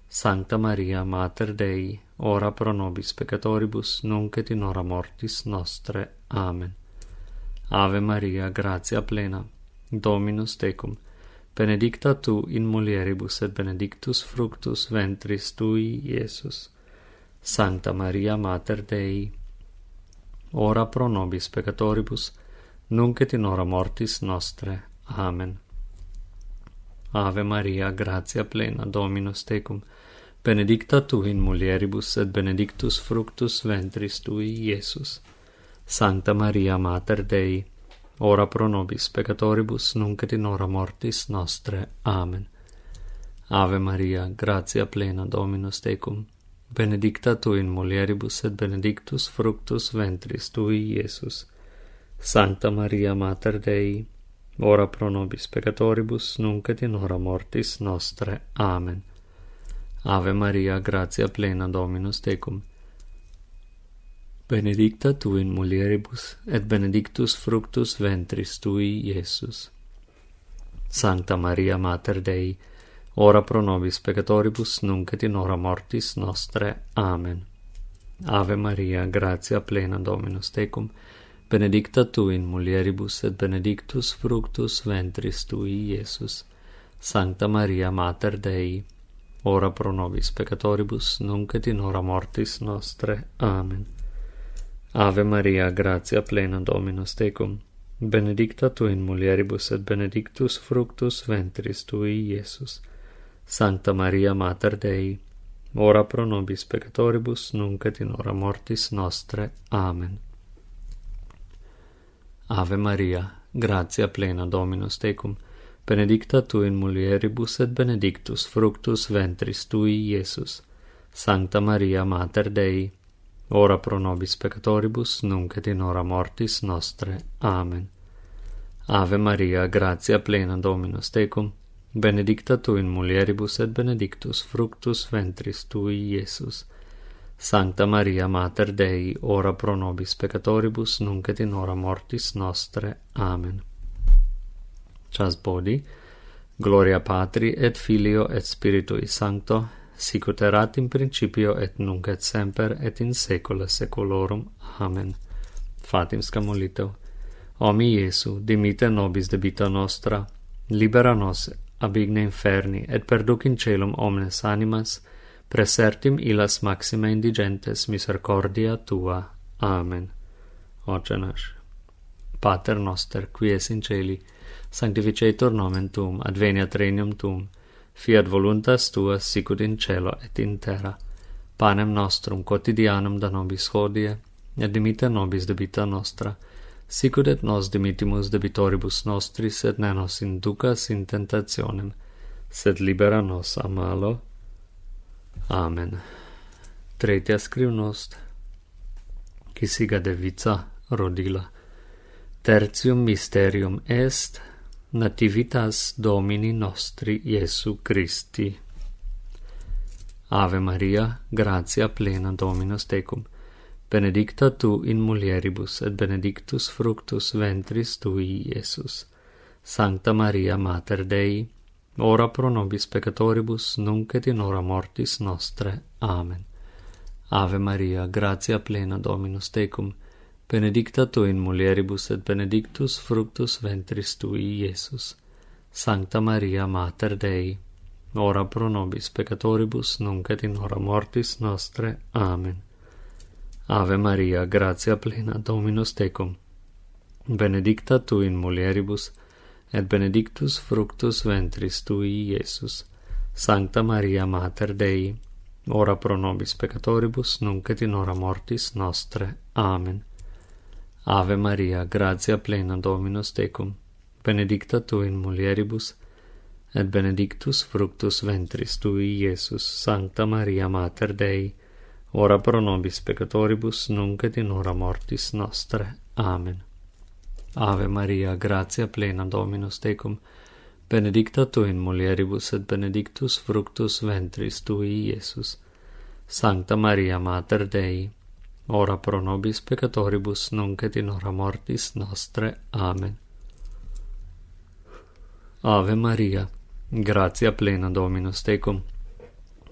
[SPEAKER 4] Sancta Maria, Mater Dei, ora pro nobis peccatoribus, nunc et in hora mortis nostre. Amen. Ave Maria, gratia plena, Dominus tecum, benedicta tu in mulieribus et benedictus fructus ventris tui, Iesus. Sancta Maria, Mater Dei, ora pro nobis peccatoribus, nunc et in hora mortis nostre. Amen. Ave Maria, gratia plena, Dominus tecum, benedicta tu in mulieribus et benedictus fructus ventris tui, Iesus. Sancta Maria, Mater Dei, ora pro nobis peccatoribus, nunc et in hora mortis nostre. Amen. Ave Maria, gratia plena, Dominus tecum, benedicta tu in mulieribus et benedictus fructus ventris tui, Iesus. Sancta Maria, Mater Dei, ora pro nobis peccatoribus, nunc et in hora mortis nostre. Amen. Ave Maria, gratia plena, Dominus tecum, benedicta tu in mulieribus, et benedictus fructus ventris tui, Iesus. Sancta Maria, Mater Dei, ora pro nobis peccatoribus, nunc et in hora mortis nostre. Amen. Ave Maria, gratia plena, Dominus tecum, benedicta tu in mulieribus, et benedictus fructus ventris tui, Iesus. Sancta Maria, Mater Dei, ora pro nobis peccatoribus, nunc et in hora mortis nostre. Amen. Ave Maria, gratia plena, Dominus tecum, benedicta tu in mulieribus et benedictus fructus ventris tui, Iesus. Sancta Maria, Mater Dei, ora pro nobis peccatoribus, nunc et in hora mortis nostre. Amen. Ave Maria, gratia plena, Dominus tecum, benedicta tu in mulieribus et benedictus fructus ventris tui, Iesus. Sancta Maria, Mater Dei, ora pro nobis peccatoribus, nunc et in hora mortis nostre. Amen. Ave Maria, gratia plena, Dominus tecum, benedicta tu in mulieribus et benedictus fructus ventris tui, Iesus. Sancta Maria, Mater Dei, ora pro nobis peccatoribus, nunc et in hora mortis nostre. Amen. Chas bodi, gloria Patri et Filio et Spiritui Sancto, sic ut erat in principio et nunc et semper et in saecula saeculorum. Amen. Fatim scamolito. O mi Iesu, dimite nobis debita nostra, libera nos abigne inferni, et perduc in celum omnes animas, presertim illas maxima indigentes misericordia tua. Amen. Oce naš, Pater noster, qui es in celi, sanctificetur nomen tuum, adveniat regnum tuum, fiat voluntas tua sicut in cielo et in terra. Panem nostrum quotidianum da nobis hodie, et dimitte nobis debita nostra, sicut et nos dimittimus debitoribus nostris, et ne nos inducas in tentationem, sed libera nos a malo. Amen. Tretia scrivnost, qui siga de vica rodila. Tertium mysterium est nativitas Domini nostri Iesu Christi. Ave Maria, gratia plena Dominus tecum, benedicta tu in mulieribus, et benedictus fructus ventris tui, Iesus. Sancta Maria, Mater Dei, ora pro nobis peccatoribus, nunc et in hora mortis nostre. Amen. Ave Maria, gratia plena Dominus tecum, benedicta tu in mulieribus, et benedictus fructus ventris tui, Iesus. Sancta Maria, Mater Dei, ora pro nobis peccatoribus, nunc et in hora mortis nostre. Amen. Ave Maria, gratia plena Dominus tecum, benedicta tu in mulieribus, et benedictus fructus ventris tui, Iesus. Sancta Maria, Mater Dei, ora pro nobis peccatoribus, nunc et in hora mortis nostre. Amen. Ave Maria, gratia plena Dominus tecum, benedicta tu in mulieribus, et benedictus fructus ventris tui, Iesus. Sancta Maria, Mater Dei, ora pro nobis peccatoribus, nunc et in hora mortis nostre. Amen. Ave Maria, gratia plena Dominus tecum, benedicta tu in mulieribus, et benedictus fructus ventris tui, Iesus. Sancta Maria, Mater Dei, ora pro nobis peccatoribus, nunc et in hora mortis nostre. Amen. Ave Maria, gratia plena Dominus tecum,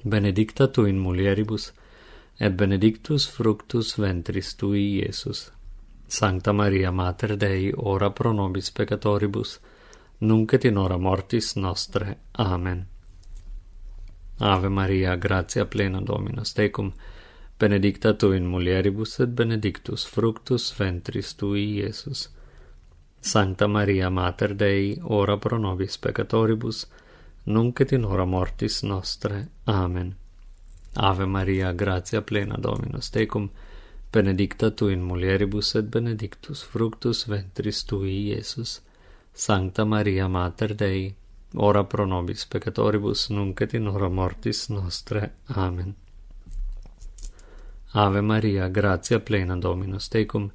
[SPEAKER 4] benedicta tu in mulieribus, et benedictus fructus ventris tui, Iesus. Sancta Maria, Mater Dei, ora pro nobis peccatoribus, nunc et in hora mortis nostre. Amen. Ave Maria, gratia plena Dominus tecum, benedicta tu in mulieribus, et benedictus fructus ventris tui, Iesus. Sancta Maria, Mater Dei, ora pro nobis peccatoribus, nunc et in hora mortis nostre. Amen. Ave Maria, gratia plena Dominus tecum, benedicta tu in mulieribus, et benedictus fructus ventris tui, Iesus. Sancta Maria, Mater Dei, ora pro nobis peccatoribus, nunc et in hora mortis nostre. Amen. Ave Maria, gratia plena Dominus tecum,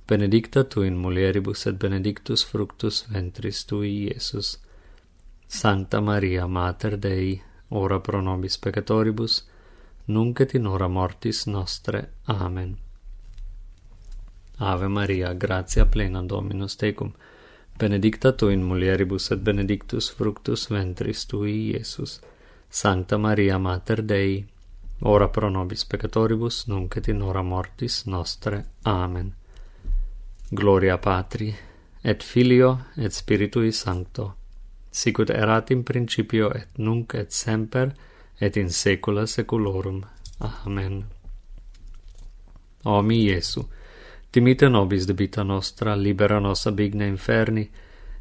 [SPEAKER 4] benedicta tu in mulieribus, et benedictus fructus ventris tui, Iesus. Sancta Maria, Mater Dei, ora pro nobis peccatoribus, nunc et in hora mortis nostre. Amen. Ave Maria, gratia plena Dominus tecum, benedicta tu in mulieribus, et benedictus fructus ventris tui, Iesus. Sancta Maria, Mater Dei, ora pro nobis peccatoribus, nunc et in hora mortis nostre. Amen. Gloria Patri, et Filio, et Spiritui Sancto, sicut erat in principio, et nunc et semper, et in saecula saeculorum. Amen. O mi Iesu, dimitte nobis debita nostra, libera nos ab igne inferni,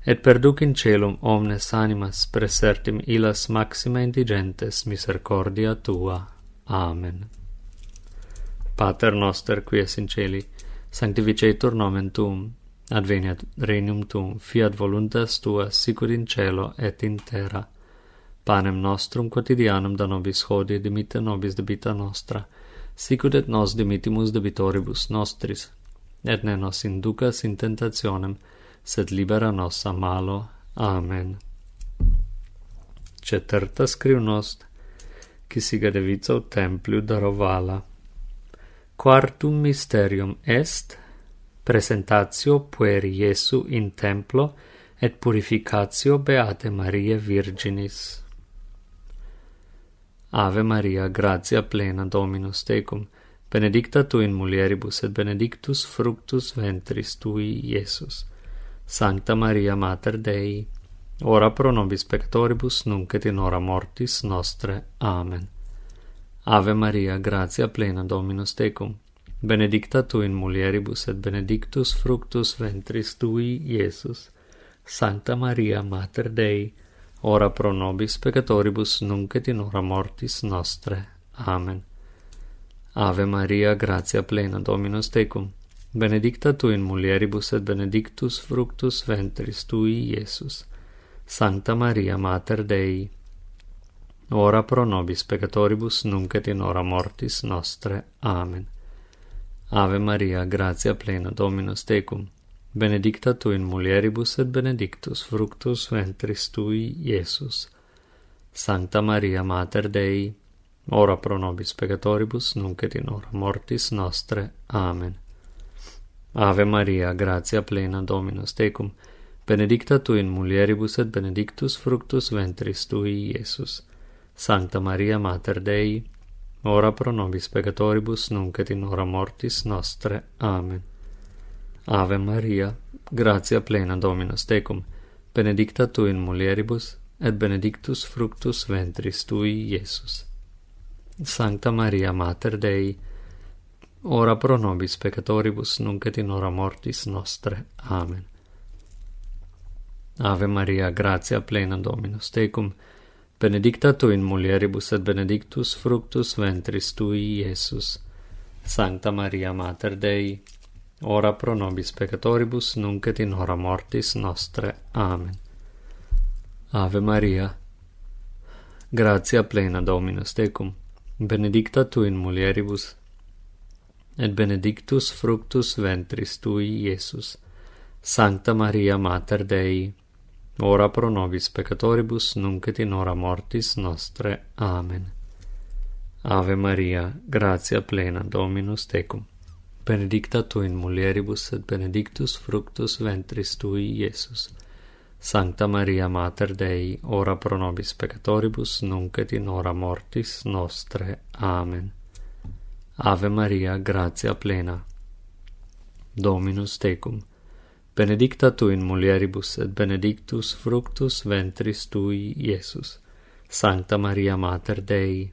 [SPEAKER 4] et perduc in celum omnes animas, presertim illas maxima indigentes misericordia tua. Amen. Pater noster, qui es in celi, sanctificetur nomen tuum, adveniat regnum tuum, fiat voluntas tua, sicut in cielo et in terra. Panem nostrum quotidianum da nobis hodie, dimitte nobis debita nostra, sicut et nos dimittimus debitoribus nostris, et ne nos inducas in tentationem, sed libera nos a malo. Amen. Ceterta scrivnost, qui siga de vico templiu darovala. Quartum mysterium est presentatio pueri Iesu in templo et purificatio Beate Mariae Virginis. Ave Maria, gratia plena Dominus tecum, benedicta tu in mulieribus, et benedictus fructus ventris tui, Iesus. Sancta Maria, Mater Dei, ora pro nobis peccatoribus, nunc et in hora mortis nostre. Amen. Ave Maria, gratia plena, Dominus tecum, benedicta tu in mulieribus et benedictus fructus ventris tui, Iesus. Sancta Maria, Mater Dei, ora pro nobis peccatoribus, nunc et in hora mortis nostre. Amen. Ave Maria, gratia plena, Dominus tecum, benedicta tu in mulieribus et benedictus fructus ventris tui, Iesus. Sancta Maria, Mater Dei, ora pro nobis peccatoribus, nunc et in hora mortis nostre. Amen. Ave Maria, gratia plena, Dominus tecum, benedicta tu in mulieribus et benedictus fructus ventris tui, Iesus. Sancta Maria, Mater Dei, ora pro nobis peccatoribus, nunc et in hora mortis nostre. Amen. Ave Maria, gratia plena, Dominus tecum, benedicta tu in mulieribus et benedictus fructus ventris tui, Iesus. Sancta Maria, Mater Dei, ora pro nobis peccatoribus, nunc et in hora mortis nostre. Amen. Ave Maria, gratia plena, Dominus tecum, benedicta tu in mulieribus et benedictus fructus ventris tui, Iesus. Sancta Maria, Mater Dei, ora pro nobis peccatoribus, nunc et in hora mortis nostre. Amen. Ave Maria, gratia plena, Dominus tecum, benedicta tu in mulieribus et benedictus fructus ventris tui, Iesus. Sancta Maria, Mater Dei, ora pro nobis peccatoribus, nunc et in hora mortis nostre. Amen. Ave Maria, gratia plena, Dominus tecum, benedicta tu in mulieribus et benedictus fructus ventris tui, Iesus. Sancta Maria, Mater Dei, ora pro nobis peccatoribus, nunc et in hora mortis nostre. Amen. Ave Maria, gratia plena, Dominus tecum, benedicta tu in mulieribus et benedictus fructus ventris tui, Iesus. Sancta Maria, Mater Dei, ora pro nobis peccatoribus, nunc et in hora mortis nostre. Amen. Ave Maria, gratia plena, Dominus tecum, benedicta tu in mulieribus et benedictus fructus ventris tui, Iesus. Sancta Maria, Mater Dei,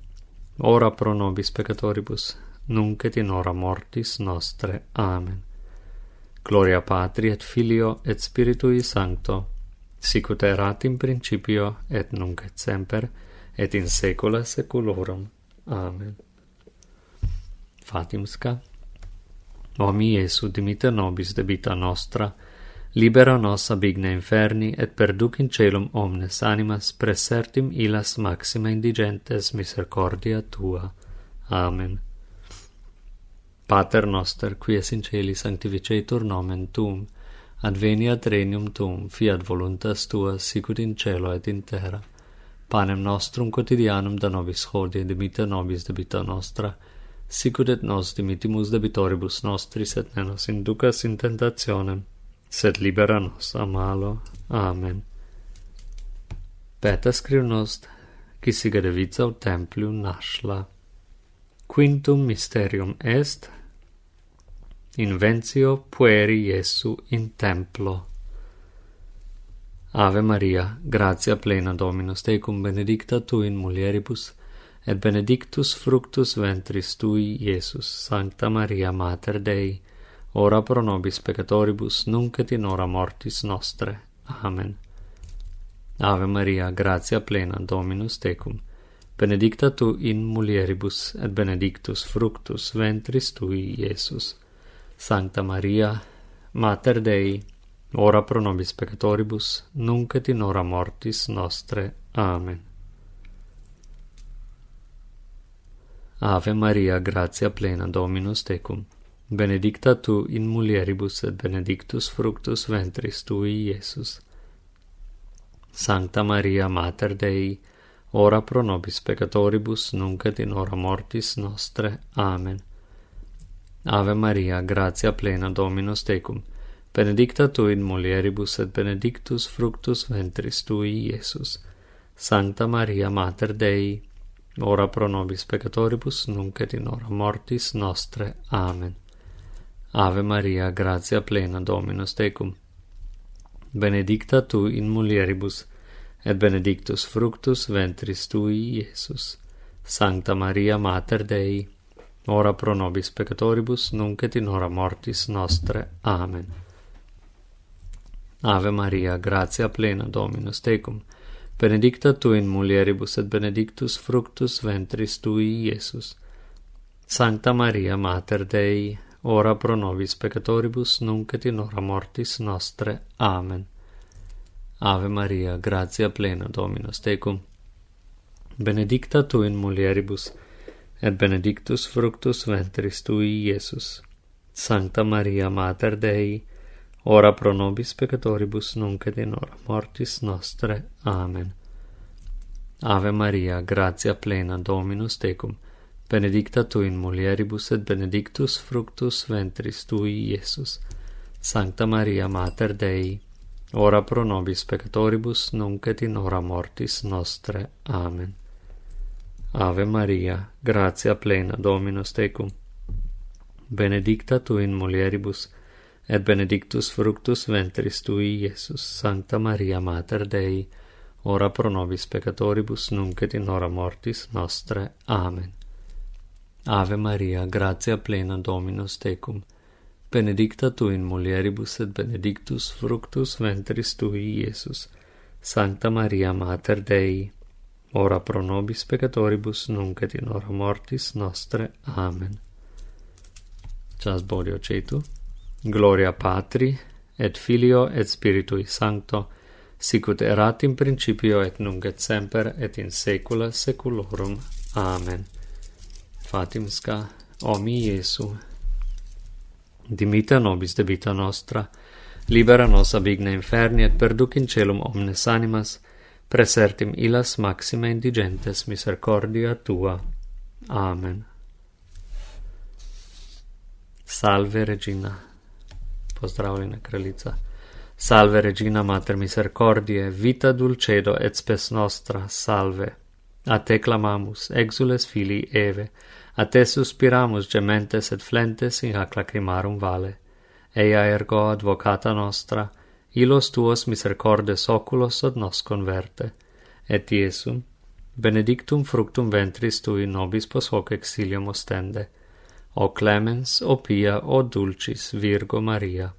[SPEAKER 4] ora pro nobis peccatoribus, nunc et in hora mortis nostre. Amen. Gloria Patri et Filio et Spiritui Sancto, sic ut erat in principio et nunc et semper et in saecula saeculorum. Amen. Fatimsca. O mi Iesu, dimite nobis debita nostra, libera nos ab igne inferni et perduc in celum omnes animas, presertim illas maxima indigentes misericordia tua. Amen. Pater noster, qui es in celi, sanctificetur nomen tuum, adveniat regnum tuum, fiat voluntas tua, sicut in cielo et in terra. Panem nostrum quotidianum da nobis hodie, dimite nobis debita nostra, sicut et nos dimitimus debitoribus nostris, et ne nos inducas in tentationem, sed libera nos a malo. Amen. Peta scriu nost, qui siga de viza ut templium nascla. Quintum mysterium est inventio pueri Iesu in templo. Ave Maria, gratia plena, Dominus tecum, benedicta tu in mulieribus et benedictus fructus ventris tui, Iesus. Sancta Maria, Mater Dei, ora pro nobis peccatoribus, nunc et in hora mortis nostre. Amen. Ave Maria, gratia plena, Dominus tecum, benedicta tu in mulieribus et benedictus fructus ventris tui, Iesus. Sancta Maria, Mater Dei, ora pro nobis peccatoribus, nunc et in hora mortis nostre. Amen. Ave Maria, gratia plena, Dominus tecum, benedicta tu in mulieribus et benedictus fructus ventris tui, Iesus. Sancta Maria, Mater Dei, ora pro nobis peccatoribus, nunc et in hora mortis nostre. Amen. Ave Maria, gratia plena, Dominus tecum, benedicta tu in mulieribus et benedictus fructus ventris tui, Iesus. Sancta Maria, Mater Dei, ora pro nobis peccatoribus, nunc et in hora mortis nostre. Amen. Ave Maria, gratia plena, Dominus tecum, benedicta tu in mulieribus et benedictus fructus ventris tui, Iesus. Sancta Maria, Mater Dei, ora pro nobis peccatoribus, nunc et in hora mortis nostre. Amen. Ave Maria, gratia plena, Dominus tecum, benedicta tu in mulieribus et benedictus fructus ventris tui, Iesus. Sancta Maria, Mater Dei, ora pro nobis peccatoribus, nunc et in hora mortis nostre. Amen. Ave Maria, gratia plena, Dominus tecum, benedicta tu in mulieribus, et benedictus fructus ventris tui, Iesus. Sancta Maria, Mater Dei, ora pro nobis peccatoribus, nunc et in hora mortis nostre. Amen. Ave Maria, gratia plena, Dominus tecum, benedicta tu in mulieribus, et benedictus fructus ventris tui, Iesus. Sancta Maria, Mater Dei, ora pro nobis peccatoribus, nunc et in hora mortis nostre. Amen. Ave Maria, gratia plena, Dominus tecum, benedicta tu in mulieribus, et benedictus fructus ventris tui, Iesus. Sancta Maria, Mater Dei, ora pro nobis peccatoribus, nunc et in hora mortis nostre. Amen. Ave Maria, gratia plena, Dominus tecum, benedicta tu in mulieribus, et benedictus fructus ventris tui, Iesus. Sancta Maria, Mater Dei, ora pro nobis peccatoribus, nunc et in hora mortis nostre. Amen. Chas Bodio Cetu, Gloria Patri, et Filio, et Spiritui Sancto, sicut erat in principio, et nunc et semper, et in saecula saeculorum. Amen. Fatimska, o mi Iesu, dimita nobis debita nostra, libera nos ab igna inferni, et perduc in celum omnes animas, presertim illas maxime indigentes misericordia tua. Amen. Salve Regina, pozdravljena kraljica. Salve Regina, Mater misericordiae, vita dulcedo et spes nostra, salve. A te clamamus, exules filii Eve, a te suspiramus gementes et flentes in hac lacrimarum vale. Ea ergo advocata nostra, illos tuos misericordes oculos ad nos converte. Et Iesum, benedictum fructum ventris tui nobis pos hoc exilium ostende. O clemens, o pia, o dulcis Virgo Maria.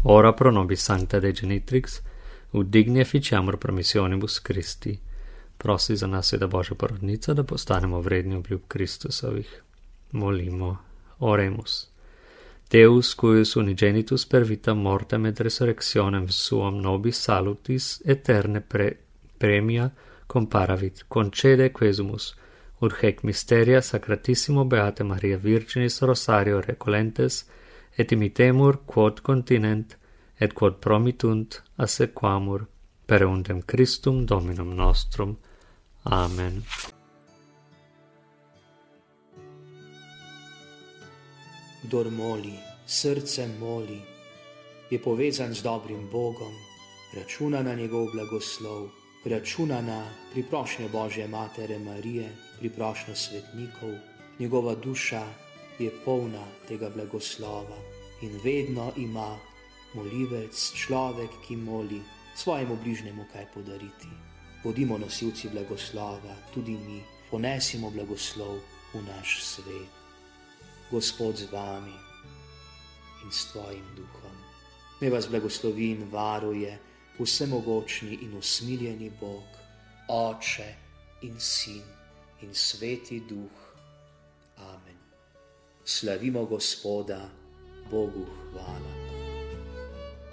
[SPEAKER 4] Ora pro nobis sancta Dei Genitrix, ut digni efficiamur promissionibus Christi. Prosis a nas da Božja porodnica, da postanemo vredni obljub Kristusovih. Molimo, oremus. Deus, cuius unigenitus per vita mortem et resurrectionem suam nobis salutis eterne pre premia comparavit, concede quesumus, ut hec mysteria sacratissimo Beate Maria Virginis Rosario recolentes, et imitemur quod continent, et quod promitunt assequamur, per undem Christum Dominum nostrum. Amen.
[SPEAKER 2] Kdor moli, srcem moli, je povezan z dobrim Bogom, računa na njegov blagoslov, računa na priprošnjo Božje Matere Marije, priprošnjo svetnikov, njegova duša je polna tega blagoslova in vedno ima molivec, človek, ki moli, svojemu bližnjemu kaj podariti. Bodimo nosilci blagoslova, tudi mi, ponesimo blagoslov v naš svet. Gospod z vami in s tvojim duhom. Naj vas blagoslovi in varuje vsemogočni in usmiljeni Bog, Oče in Sin in Sveti Duh. Amen. Slavimo Gospoda, Bogu hvala.